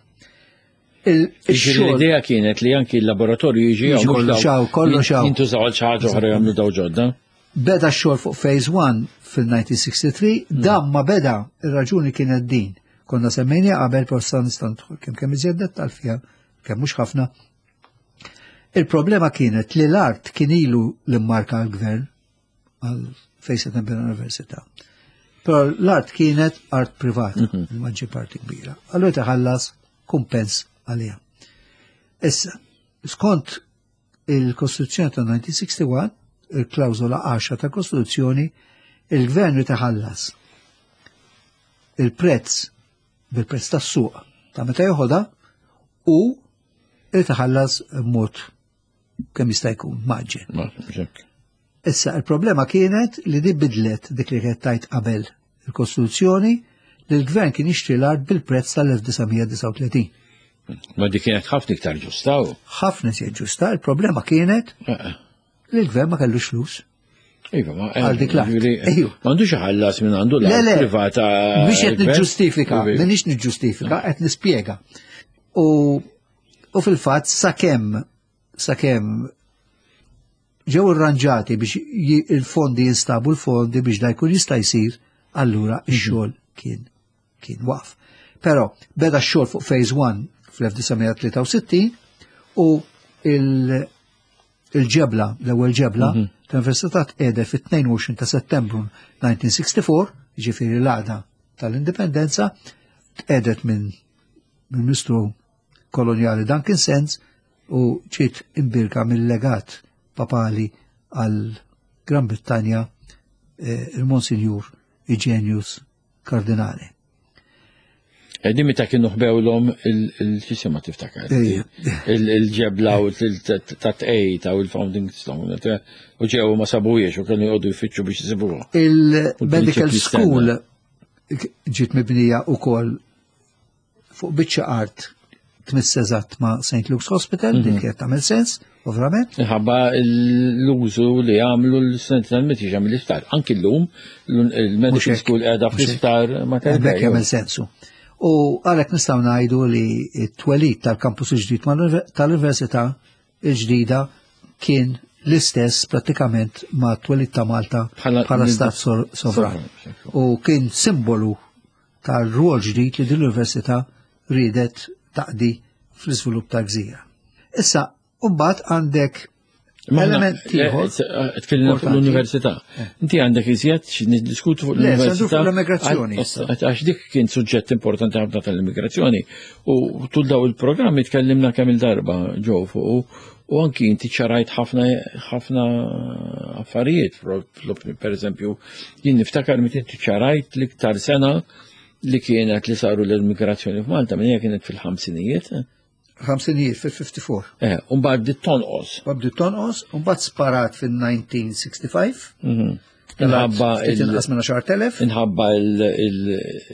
L-idea kienet li anki l-laboratorju jiġi kollox hawn, kollox hawn. Jintużaw għal xi ħaġa oħra jagħmlu daw ġodda. Beda x-xogħol fuq Phase one fil-elf disa' mija u sitta u sittin, dan ma beda, ir-raġuni kienet din. Konna semmejna qabel, però sa nista' nidħol kemm kemm iżjed dettal fiha, kemm mhux ħafna. Il-problema kienet li l-art kien ilu l-immarka għal-gvern għal fejn se tinbena l-università. Però l-art kienet art privata, il-maġġi parti kbira. Allura tħallas kumpens għalija. Issa, skont il-Kostituzzjoni ta' elf disa' mija u wieħed u sittin, il-klawżola għaxra ta' Kostituzzjoni, il-gvern jitħallas il-prezz bil-prezz tas-suq ta' meta joħodha u jitħallas mod kemm jista' jkun mgħaġġel. Issa, il-problema kienet li di bidlet dik li kienet tajt qabel il-Kostituzzjoni, li l-gvern kien jixtri l-art bil-prezz tal-elf disa' mija u disgħa u tletin. Ma di kienet ħafna iktar ġusta. Ħafna iżjed ġusta, il-problema kienet li l-gvern ma kellux flus. Iva, ma Għal dik l-art. Ejju. M'għandux iħallas minn għandu Le, l-art le, privata. Biex qed niġġustifika, Iva. minix niġġustifika, qed nispjega. U, u fil-fatt sakemm sakemm ġew irranġati biex ji- il-fondi jinstabu l-fondi biex da jkun jista' jsir, allura x-xogħol kien kien waqf. Però beda x-xogħol fuq Phase one fl-elf disa' mija u tlieta u sittin u il- il-ġebla, l-ewwel ġebla, tal-Università tqiegħdet fit-tnejn u għoxrin ta' Settembru elf disa' mija u sitta u erbgħin, ġifieri l-għada tal-Indipendenza, tqiegħdet minn mill-Ministru Koloniali Duncan Sandys u ġiet imbierka mill-legat papali għal Gran Brittanja, eh, il-Monsinjur Eugenius Cardinale. Di meta kienu ħbewlhom il-xisima, tiftakar? Ejja. Il-ġebla u ta' tqejt u il-founding stone. U ġew ma sabuhiex u kienu jgħodu jfittxu biex jisibuha. Il-Medical U l-prinċipji. School ġiet mibnija u koll fuq biċċa art tmiss eżatt ma' Saint Luke's Hospital, dik kienet tagħmel sens, ovvjament. Ħabba l-użu li għamlu l-studenti tal-mediċi mill-isptar. Anki l-lum, il-medical Mhux hekk, school qiegħda mhux hekk. fl-isptar Mater Hemmhekk Dei. jagħmel sensu. U għalhekk nistgħu ngħidu li t-twelid tal-kampus il-ġdid mal- tal-Università il-ġdida kien l-istess prattikament ma' twelid ta' Malta Bħala- bħala stat sor- sovran. U kien simbolu tal-rwol ġdid li din l-università riedet taqdi fl-iżvilupp ta' gżira. Issa, mbagħad għandek Ma aħna- element ieħor. Eh, Tkellimna fuq importanti. l-università. Inti għandek iżjed xi niddiskutu fuq Le, se ndur l-università. fuq l-immigrazzjoni Għax għax dik kien suġġett importanti ħafna tal-immigrazzjoni. U tul daw il-programmi tkellimna kemm il-darba ġew fuq u- u anki inti ċarajt ħafna ħafna affarijiet. Pro- Per eżempju, jien niftakar meta inti ċarajt l-iktar sena li kienet li saru l-immigrazzjoni f'Malta, minn hija kienet fil-ħamsinijiet. Ħamsinijiet, fil-ħamsa u ħamsin. Eh, u mbagħad bdiet tonqos. Bdiet tonqos, u mbagħad sparat fil-elf disa' mija u sitta u ħamsin. Inħabba Ftit il- inqas minn għaxart elef. Inħabba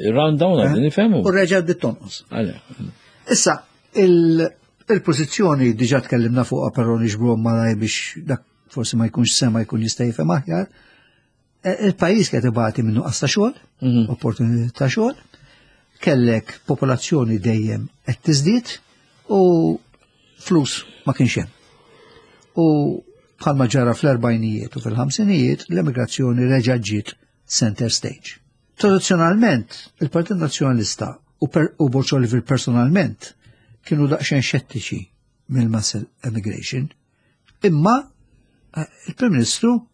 il-rundown għadni nifhemu. U reġa' bdiet tonqos. Għale. Issa, il- il-pożizzjoni diġà tkellimna fuqha, però niġbruhom malaj biex dak forsi ma jkunx sema jkun jista' jifhem aħjar. E, Il-pajjiż qed ibati minn nuqqas ta' xogħol, opportunità ta' xogħol, kellek popolazzjoni dejjem qed tiżdied u flus ma kienx hemm. U bħalma ġara fl-erbgħinijiet u fil-ħamsinijiet, l-emigrazzjoni reġa' ġiet center stage. Tradizzjonalment, il-Partit Nazzjonalista u, per, u Borg Olivier personalment kienu daqsxejn xettiċi mill-mass emigration, imma eh, il-Prim Ministru,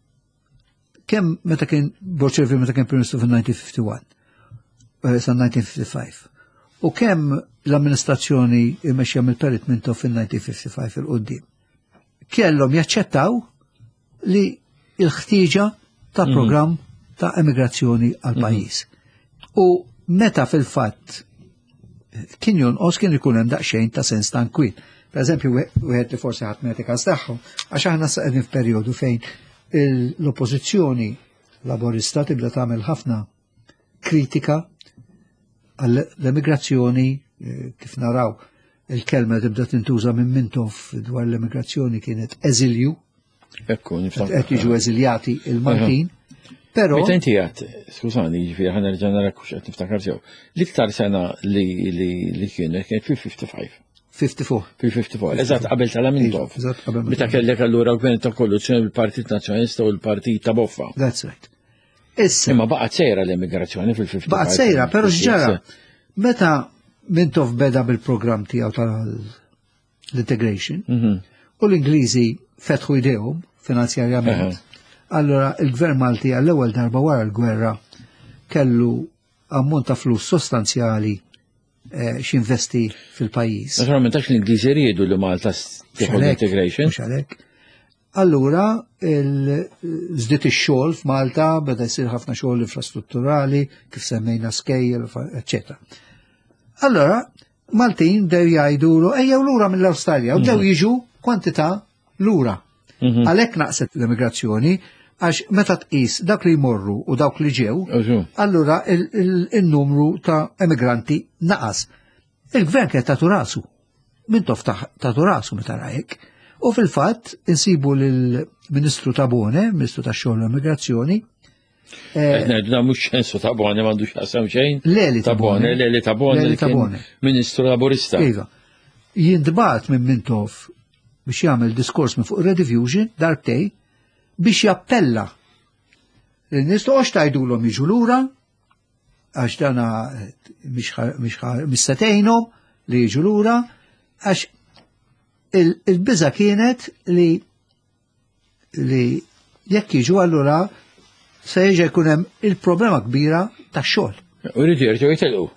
kemm meta kien Borg Olivier meta kien Prim Ministru fil-elf disa' mija u wieħed u ħamsin eh, sa elf disa' mija u ħamsa u ħamsin, u kemm l-amministrazzjoni imexxija mill-Perit Mintoff fil-elf disa' mija u ħamsa u ħamsin 'il quddiem, kellhom jaċċettaw li il-ħtieġa ta' programm ta' emigrazzjoni għal pajjiż. U meta fil-fatt kien jonqos, kien ikun hemm daqsxejn ta' sens ta' nkwiet. Per eżempju, wieħed li forsi ħadd ma każ tagħhom, għax aħna sa qegħdin f'perjodu fejn l-oppożizzjoni Laborista tibda tagħmel ħafna kritika għall-emigrazzjoni, eh, kif naraw il-kelma tibda tintuża minn Mintoff dwar l-emigrazzjoni kienet eżilju, Ekku, niftakar. qed jiġu eżiljati il-Maltin, Però Meta inti għat, skużani, ġifieri ħa nerġa' nara kux qed niftakar sew. L-iktar sena li li li kienu kienet fil-ħamsa u ħamsin. ħamsa u ħamsin. Fil-ħamsa u erbgħin, eżatt qabel tal-Mintoff. Eżatt qabel Meta kellek allura gvern ta' koalizzjoni bil-Partit Nazzjonalista u l-Partit ta' Boffa. That's right. Issa, Imma baqgħet sejra l-immigrazzjoni fil-ħamsa u ħamsin. Baqgħet sejra, però x'ġara? Meta Mintoff beda bil-programm tiegħu tal-integration, Mhm. u l-Ingliżi fetħu idejhom finanzjarjament, allora il-Gvern Malti għall-ewwel darba wara l-gwerra kellu ammont ta' flus sostanzjali eh, x'investi fil-pajjiż. Naturalment għax l-Ingliżi riedu li Malta tieħu Mhux għalhekk, l-integration. mhux għalhekk. Allura, żdied ix-xogħol f'Malta, beda jsir ħafna xogħol infrastrutturali, kif semmejna skejjel, eċetera. Allora, Maltin bdew jgħidu ejjew lura mill-Awstralja u bdew jiġu kwantità lura. Mhm. Għalhekk naqset l-immigrazzjoni, għax meta tqis dak li jmorru u dawk li ġew, Użu. allura il- il- il-numru ta' emigranti naqas. Il-gvern kien tatu rasu. Mintoff tatu rasu meta rajek. U fil-fatt insibu lill-Ministru Tabone, Ministru ta' xogħol u Immigrazzjoni, eh, Qed ngħidu dan mhux Ċensu Tabone, m'għandux x'jaqsam xejn. Leli Tabone, Leli Tabone, Leli li kien Tabone. Ministru Laburista. Iva. Jintbagħat minn Mintoff biex jagħmel diskors minn fuq Rediffusion darbtejn biex jappella. Lin-nies toqgħodx tgħidulhom jiġu lura għax dana eh, mhix ħa- mhix ħa- mhix se tgħinhom li jiġu lura għax il- il-biża kienet li li jekk jiġu allura se jiġi jkun hemm il-problema kbira tax-xogħol. U rridu jerġgħu jitilqu.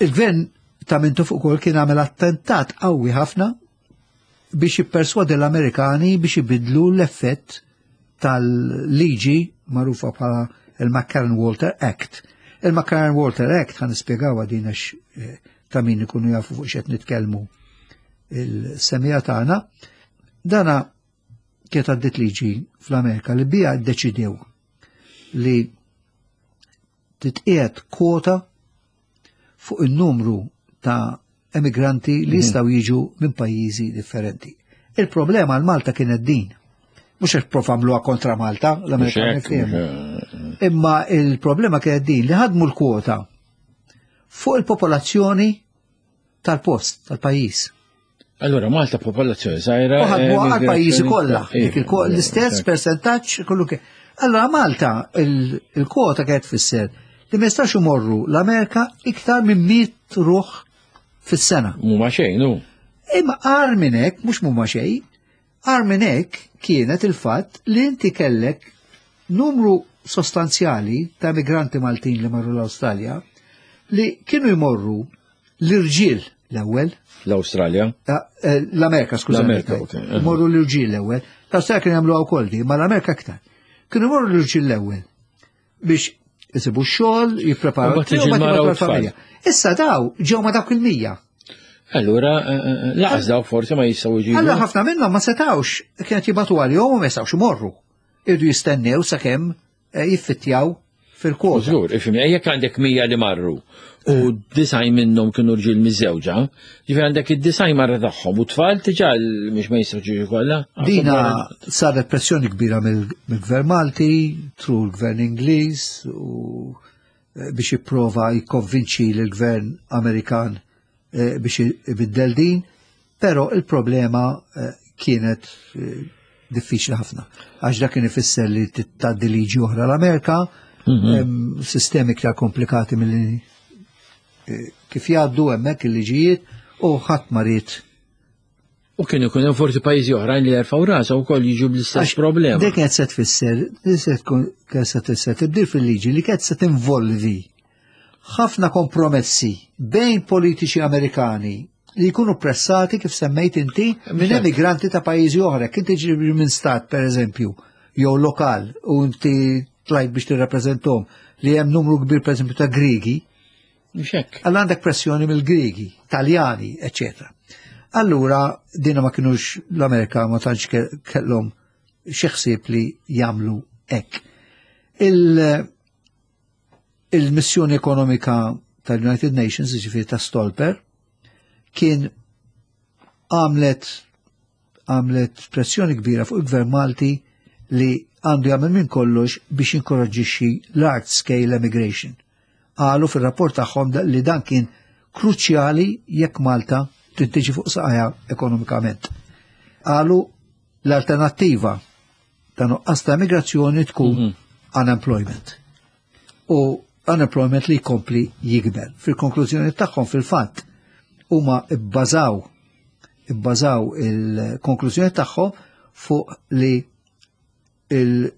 Il-gvern ta' Mintoff ukoll kien għamel attentat qawwi ħafna biex jipperswadi l-Amerikani biex ibidlu l-effett tal-liġi magħrufa bħala il-McCarran-Walter Act. Il-McCarran-Walter Act ħa nispjegaw din għax eh, ta' min ikunu jafu fuq x'qed nitkellmu il-semmiegħa tagħna. Dana kienet għaddit liġi fl-Amerika li bija ddeċidew li titqiegħed kwota fuq il-numru ta' emigranti li jistgħu jiġu minn pajjiżi differenti. Il-problema għal Malta kienet din. Mhux għax provaw għamluha kontra Malta, l-Amerikani Mhux hekk, fehmu. mhux- Imma il-problema kienet din li ħadmu l-kwota fuq il-popolazzjoni tal-post, tal-pajjiż. Allora Malta popolazzjoni żgħira. U ħadmu eh, għal-pajjiżi kollha, Iva, dik il- l-istess percentaġġ kollu ke. Allora Malta il- il-kwota kienet tfisser li ma jistax imorru l-Amerika iktar minn mitt ruħ fis-sena. Mhuma xejn, hu. Imma agħar minn hekk, mhux mhuma xejn, agħar minn hekk kienet il-fatt li inti kellek numru sostanzjali ta' migranti Maltin li marru l-Awstralja li kienu jmorru l-irġiel l-ewwel, L-Awstralja. eh, eh, l-Amerika, skużani. L-Amerika, ok. Morru l-irġiel l-ewwel. L-Awstralja kienu jagħmluha wkoll di, ma l-Amerika aktar. Kienu jmorru l-irġiel l-ewwel biex isibu x-xogħol, jippreparaw U mbagħad tiġi u mbagħad l-mara u jibgħatu l-familja. Issa daw ġew ma dawk il-mija. Allura, eh, eh, lanqas daw forsi ma jistgħu jġibu. Allora ħafna minnhom ma setawx, kienet jibagħtu għalihom u ma jistgħux imorru. Irdu jistennew sakemm eh, jiffittjaw fil-kwota. Żgur, ifhimni, jekk għandek mija li marru u disgħin minnhom kienu rġiel miżżewġa, ġifieri għandek id-disgħin marra tagħhom u tfal diġà mhux ma jistgħu jiġu kollha. Dina saret pressjoni kbira mill- mill-Gvern Malti, through l-Gvern Ingliż u eh, biex jipprova jikkonvinċi l-Gvern Amerikan eh, biex ibiddel din, però il-problema eh, kienet eh, diffiċli ħafna. Għax dak kien ifisser li tgħaddi liġi oħra l-Amerika, hemm sistemi iktar komplikati milli eh, kif jgħaddu hemmhekk il-liġijiet u ħadd ma ried U kienu jkun hemm forsi pajjiżi oħrajn li jerfgħu rasa wkoll jiġu bl-istess Għax problema. Dik kienet se tfisser, dik se tkun kienet se tfisser tibdil fil-liġi li kienet se tinvolvi ħafna kompromessi bejn politiċi Amerikani li jkunu pressati kif semmejt inti minn emigranti ta' pajjiżi oħra. Kien tiġi minn stat, per eżempju, jew lokal, u inti tlajt biex tirrappreżentahom li hemm numru kbir per eżempju ta' Grigi, Mhux hekk. Allora għandek pressjoni mill-Grigi, Taljani, eccetera. Allura, dina ma kienux l-Amerika ma tantx ke- kellhom xi ħsieb li jagħmlu hekk. Il- Il-missjoni ekonomika tal-United Nations, ġifieri ta' Stolper, kien għamlet għamlet pressjoni kbira fuq il-Gvern Malti li għandu jagħmel minn kollox biex jinkoraġġixxi large scale emigration. Qalu fir-rapport tagħhom li dan kien kruċjali jekk Malta trid tiġi fuq saqajha ekonomikament. Qalu l-alternattiva ta' nuqqas ta' immigrazzjoni tkun mm -hmm. unemployment. U unemployment li jkompli jikber. Fil-konklużjoni tagħhom, fil-fatt, huma bbażaw ibbażaw il-konklużjoni tagħhom fuq li il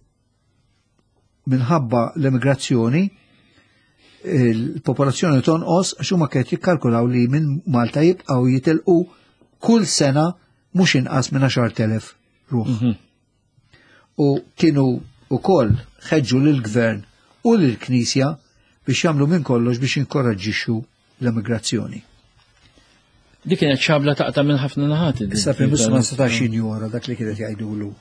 minħabba l-immigrazzjoni il-popolazzjoni tonqos, għax huma kienet jikkalkulaw li minn Malta jibqgħu jitilqu kull sena mhux inqas minn għaxart elef ruħ. Mm -hmm. U kienu ukoll ħeġġu lill-gvern u lill-Knisja biex jagħmlu minn kollox biex jinkoraġġixxu l-immigrazzjoni. Dik kienet xabla taqta' minn ħafna naħat. Issa Prim Ministru ma setax jinjora dak li kienet jgħidulu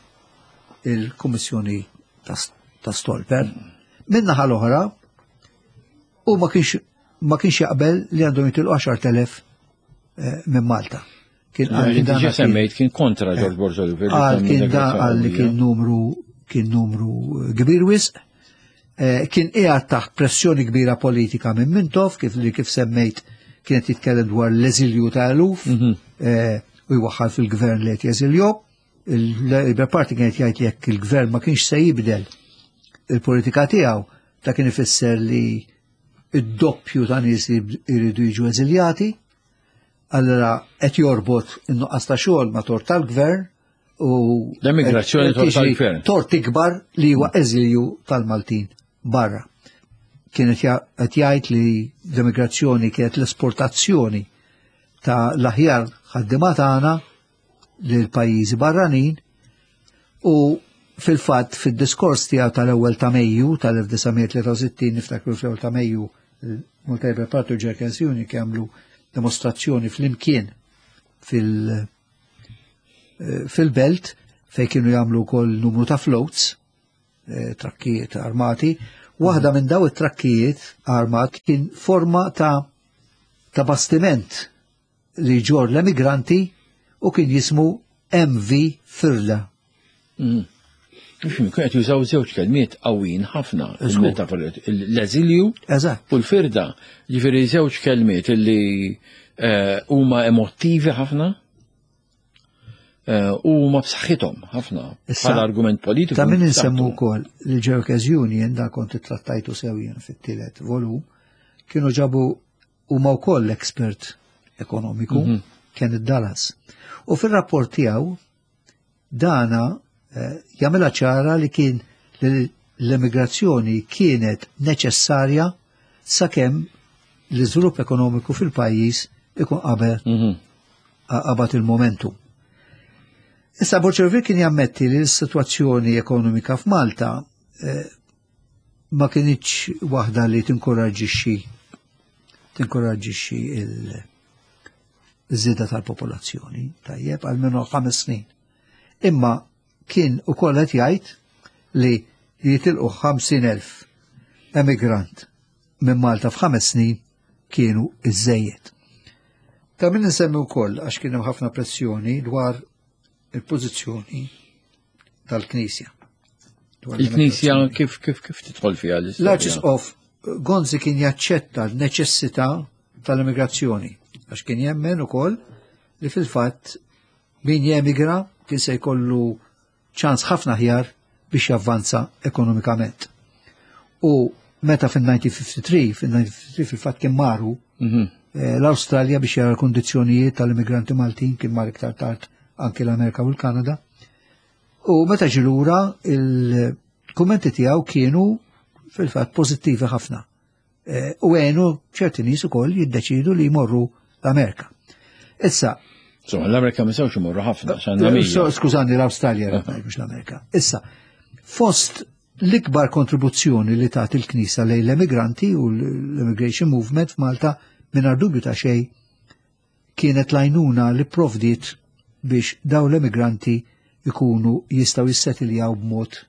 il-Kummissjoni ta' Stolper. Minn naħa l-oħra, u ma kienx ma kienx jaqbel li għandhom jitilqu għaxart elef eh, minn Malta. Kien għal semmejt kien kontra George Borg Olivier. Għal kien da għal li kien numru kien numru kbir wisq. Eh, kien qiegħed taħt pressjoni kbira politika minn Mintoff, kif li kif semmejt kienet jitkellem dwar l-eżilju ta' eluf mhm. eh, u jwaħħal fil-gvern li qed jeżilju. Il-Labour Party kienet jgħid li jekk il-gvern ma kienx se jibdel il-politika tiegħu, ta' kien ifisser li id-doppju ta' nies jridu jiġu eżiljati. Allora qed jorbot in-nuqqas ta' xogħol ma' tort tal-gvern u l-emigrazzjoni tort tal-gvern. Tort ikbar li huwa eżilju tal-Maltin barra. Kienet qed jgħid li l-emigrazzjoni kienet l-esportazzjoni ta' l-aħjar ħaddiema tagħna lil pajjiżi barranin. U fil-fatt, fid-diskors tiegħu tal-ewwel ta' Mejju tal-elf disa' mija tlieta u sittin, niftakru fl-ewwel ta' Mejju Malta Labour Party u Jerkens Union jagħmlu dimostrazzjoni flimkien fil- eh, fil-belt fej kienu jagħmlu wkoll numru ta' floats, eh, trakkijiet armati. Waħda minn daw it-trakkijiet armat kien forma ta' ta' bastiment li ġor l-emigranti u kien jismu M V Firda. Mm. Kien qed jużaw żewġ kelmiet qawwin ħafna, il-metafora, l-eżilju u l-firda. Ġifieri żewġ kelmiet li eh, huma emottivi ħafna eh, u huma b'saħħithom ħafna bħala argument politiku. Ta' min insemmu wkoll li Workers Union, da kont trattajtu sew jien fit-tielet volum, kienu ġabu huma wkoll expert ekonomiku, mm -hmm. kien id-Dallas. U fil-rapport tiegħu dana eh, jagħmilha ċara li kien l-emigrazzjoni kienet neċessarja sakemm l-iżvilupp ekonomiku fil-pajjiż ikun qabel mhm. qabad il-momentum. Issa Borg Olivier kien jammetti li l-sitwazzjoni ekonomika f'Malta eh, ma kienx waħda li tinkoraġġixxi tinkoraġġixxi il-żieda tal-popolazzjoni, tajjeb, għalmenu ħames snin. Imma kien ukoll qed jgħid li jitilqu ħamsin elf emigrant minn Malta f'ħames snin kienu iżżejjed. Ta' min nsemmi wkoll, għax kien hemm ħafna pressjoni dwar il-pożizzjoni tal-Knisja. Il-Knisja kif kif kif tidħol fiha l-istorja? L-Arċisqof Gonzi kien jaċċetta l-neċessità tal-immigrazzjoni, għax kien jemmen ukoll li fil-fatt min jemigra kien se jkollu ċans ħafna aħjar biex javvanza ekonomikament. U meta fil-elf disa' mija ħamsa u ħamsin, fil-elf disa' mija ħamsa u ħamsin fil-fatt kien marru Mhm. eh, l-Awstralja biex jara l-kondizzjonijiet tal-immigranti Maltin, kien mar iktar tard anki l-Amerika u l-Kanada. U meta ġie lura, il-kummenti tiegħu kienu fil-fatt pożittivi ħafna. Eh, U għenu ċerti nies ukoll jiddeċidu li jmorru l-Amerika. Issa, Insomma, l-Amerika ma sewx imorru ħafna, x'għandna Eh, mija. so- Skużani, l-Awstralja, mhux l-Amerika. Issa, fost l-ikbar kontribuzzjoni li tat il-Knisja lejn l-emigranti u l-immigration movement f'Malta, mingħajr dubju ta' xejn, kienet l-għajnuna li provdiet biex daw l-emigranti ikunu jistgħu jissetiljaw b'mod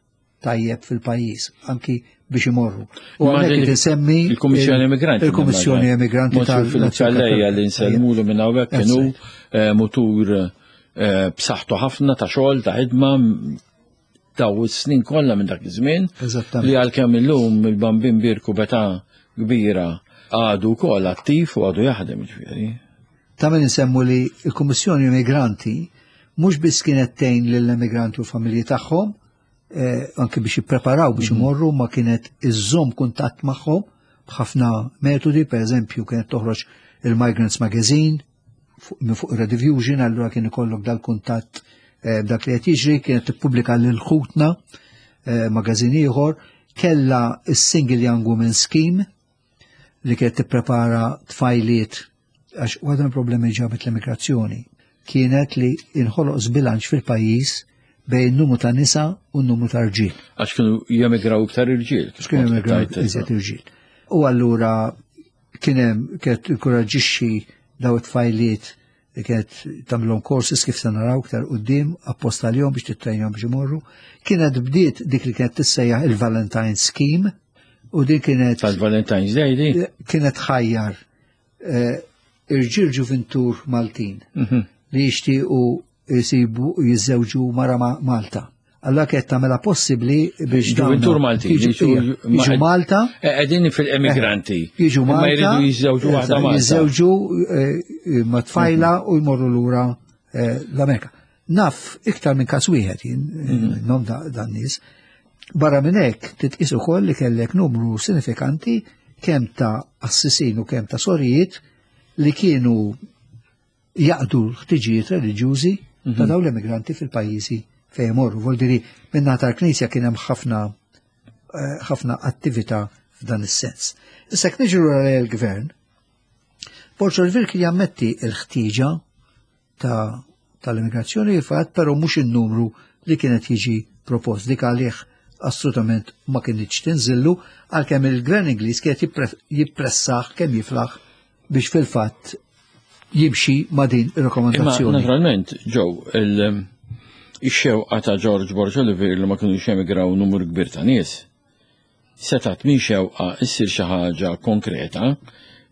tajjeb fil-pajjiż, anki biex imorru. U Ma għalhekk din insemmi il-Kummissjoni Emigranti. Il-Kummissjoni Emigranti tal tal li nsellmulu minn hawnhekk kienu eh, mutur eh, b'saħħtu ħafna ta' xogħol, ta' ħidma, daw is-snin kollha minn dak iż-żmien. Eżattament. Li għalkemm illum il-Bambin Birku beta kbira għadu wkoll attiv u għadu jaħdem, ġifieri. Ta' min insemmu li l-Kummissjoni Immigranti mhux biss kienet tgħin lill-immigranti u l-familji tagħhom, eh, anke biex jippreparaw biex imorru, ma kienet iżżomm kuntatt magħhom b'ħafna metodi, per eżempju kienet toħroġ il-Migrants Magazine fuq- minn fuq Rediffusion, allura kien ikollok dal-kuntatt eh, b'dak li qed jiġri, kienet tippubblika lil ħutna eh, magazine ieħor, kellha is-Single Young Women Scheme li kienet tipprepara tfajliet, għax waħda mill-problemi ġabet l-immigrazzjoni kienet li inħoloq żbilanċ fil-pajjiż bejn numru ta' nisa u n-numru ta' rġiel. Għax kienu jemigraw iktar irġiel. Għax kienu jemigraw iżjed irġiel. U allura kien hemm kienet inkoraġixxi daw it-tfajliet li kienet tagħmilhom courses, kif se naraw iktar quddiem, apposta għalihom biex tittrejnjhom biex imorru. Kienet bdiet dik li kienet tissejjaħ il-Valentine Scheme u din kienet Tal-Valentine's Day di? Kienet ħajjar eh, irġiel ġuvintur Maltin Mhm. li jixtiequ jisibu jiżżewġu mara ma' Malta. Allora kienet tagħmilha possibbli biex dawn Ġuvintur Maltin. jiġu jiġu Malta, Qegħdin fil-emigranti. Jiġu Imma Malta, jridu jiżżewġu waħda Malta. Jiżżewġu eh, ma' tfajla u jmorru lura eh, l-Amerika. Naf iktar minn każ wieħed jien eh, nom da- dan nies. Barra minn hekk titqis ukoll li kellek numru sinifikanti kemm ta' assisin u kemm ta' sorijiet li kienu jaqdu l-ħtiġijiet reliġjużi ta' dawn l-immigranti fil-pajjiżi fejn imorru. Vuol dire minn tal-Knisja kien hemm ħafna eh, ħafna attività f'dan is-sens. Issa jekk niġu l-gvern, Borg Olivier kien jammetti l-ħtieġa ta' tal-immigrazzjoni fatt, però mhux in-numru li kienet jiġi propost. Dik għalih assolutament ma kienx tinżillu, għalkemm il-gvern Ingliż kienet jippre- jippressah kemm jiflaħ biex fil-fatt jimxi ma' din Imma ir-rakkomandazzjoni. naturalment, ġew, il-xewqa ta' George Borg Olivier li ma kienu jemigraw numru kbir ta' nies. Setat minn xewqa issir xi ħaġa konkreta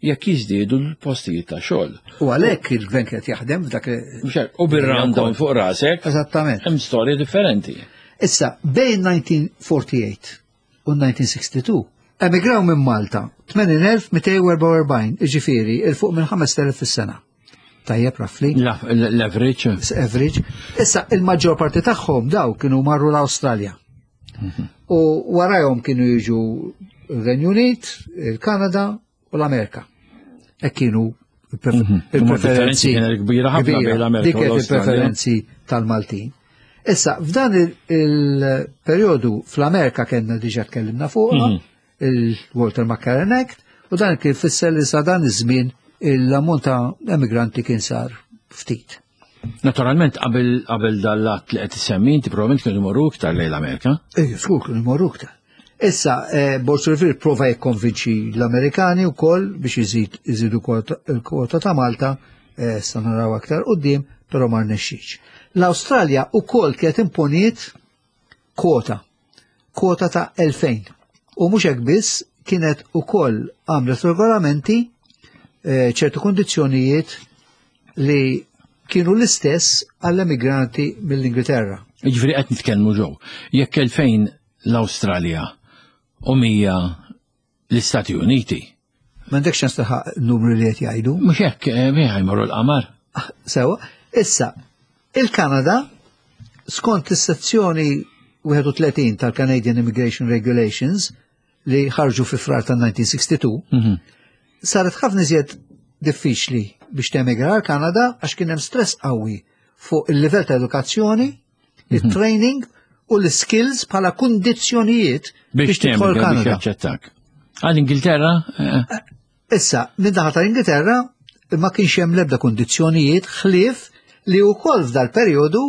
jekk jiżdiedu l-postijiet ta' xogħol. U għalhekk il-gvern kienet jaħdem f'dak Mhux hekk, u bir-rundown fuq rasek, Eżattament. Hemm storja differenti. Issa, bejn elf disa' mija u erbgħa u erbgħin u elf disa' mija u sitta u sittin, emigraw minn Malta tmenin elf mitejn u erbgħa u erbgħin, iġifieri, 'il fuq minn ħamest elef fis-sena. Tajjeb, roughly. La- L-average. Average. Issa, il-maġġor parti tagħhom daw kienu marru l-Awstralja. U warajhom kienu jiġu il-Renju Unit, il-Kanada u l-Amerika. E kienu Mhm. il-preferenzi. Kienet kbira ħafna bejn l-Amerika Dik u kienet l-Awstralja. il-preferenzi tal-Maltin. Issa, f'dan il- il-periodu fl-Amerika kellna diġa tkellimna fuqha, Mhm. il-Walter McCarran Act, u dan kien fisser li sa dan iż-żmien l-ammont ta' emigranti kien sar ftit. Naturalment, qabel qabel dal-att li qed issemmi, inti probabbilment kienu jmorru iktar lejn l-Amerika. Ejju, skur kienu jmorru iktar. Issa, eh, Borg Olivier prova jikkonvinċi l-Amerikani u koll biex jizid jizidu il-kwota ta' Malta, eh, sa naraw aktar quddiem, però ma rnexxiex. L-Awstralja u koll kienet imponiet kwota, kwota ta' elfejn. U mhux hekk biss, kienet ukoll għamlet regolamenti, eh, ċertu kondizzjonijiet li kienu l-istess għall-emigranti mill-Ingilterra. Jiġifieri qed nitkellmu ġew. Jekk elfejn l-Awstralja u mija l-Istati Uniti. M'għandekx ċans tilħaq numru li qed jgħidu. Mhux hekk, eh, miħa jmorru l-qamar. Sewa, issa, il-Kanada, skont is-sezzjoni wieħed u tletin tal-Canadian Immigration Regulations li ħarġu fi Frar tal-elf disa' mija u sitta u sittin, Mhm. saret ħafna iżjed diffiċli biex temigra għal Kanada għax kien hemm stress qawwi fuq il-livell ta' edukazzjoni, il-training u l-skills bħala kundizzjonijiet Biex biex tidħol temigra biex Kanada. jaċċettak. Għal-Ingilterra, eh, Issa, minn naħa tal-Ingilterra ma kienx hemm l-ebda kundizzjonijiet ħlief li wkoll f'dal perjodu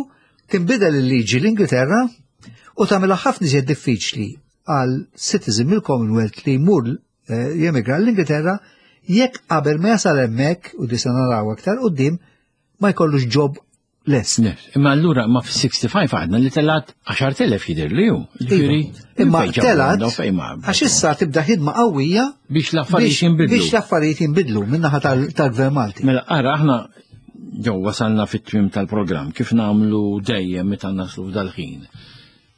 tinbidel il-liġi l-Ingilterra u tagħmilha ħafna iżjed diffiċli għal citizen mill-Commonwealth li jmur eh, jemigra l-Ingilterra jekk qabel ma jasal hemmhekk, u disa naraw aktar quddiem, ma jkollux job lest. Yes. Imma allura ma fis-sitta u ħamsin għadna li telat għaxart elef jidher li hu. Ġifieri, Imma fejn ġabu telat għandhom, fejn ma- għax issa tibda ħidma qawwija biex l-affarijiet biex jinbidlu. biex l-affarijiet jinbidlu min-naħa tal- tal-Gvern Malti. Mela, ara, aħna ġew wasalna fit-tmim tal-programm, kif nagħmlu dejjem meta naslu f'dal-ħin.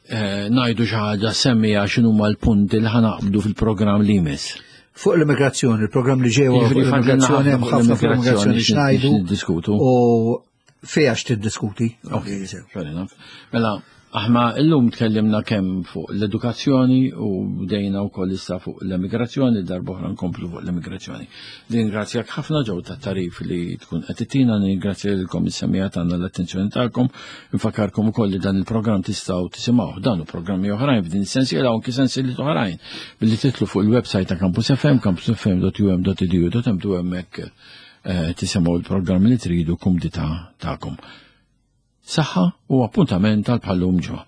eh, ngħidu xi ħaġa semmija x'inhuma l-punti li ħa naqbdu fil-programm li jmiss. Fuq l-immigrazzjoni, il-programm li ġej fuq Jiġifieri fadlilna l-immigrazzjoni, hemm ħafna ħafna fuq l-immigrazzjoni x'ngħidu x'niddiskutu. U fejn tiddiskuti. Ok, fair enough. Mela, aħna illum tkellimna kemm fuq l-edukazzjoni u bdejna wkoll issa fuq l-emigrazzjoni, darb'oħra nkomplu fuq l-emigrazzjoni. Ningrazzjak ħafna ġew tat-tarif li tkun qed tittina, ningrazzja lilkom is-semmiegħa tagħna l-attenzjoni tagħkom, nfakkarkom ukoll li dan il-programm tistgħu tisimgħu dan u programmi oħrajn f'din is-sensiela u anki sensieliet oħrajn billi titlu fuq il-website ta' Campus F M, campusfm punt U M punt edu punt M T, hemmhekk eh, tisimgħu l-programmi li tridu kumdità tagħkom. Saħħa u appuntament għal bħal-lum ġimgħa.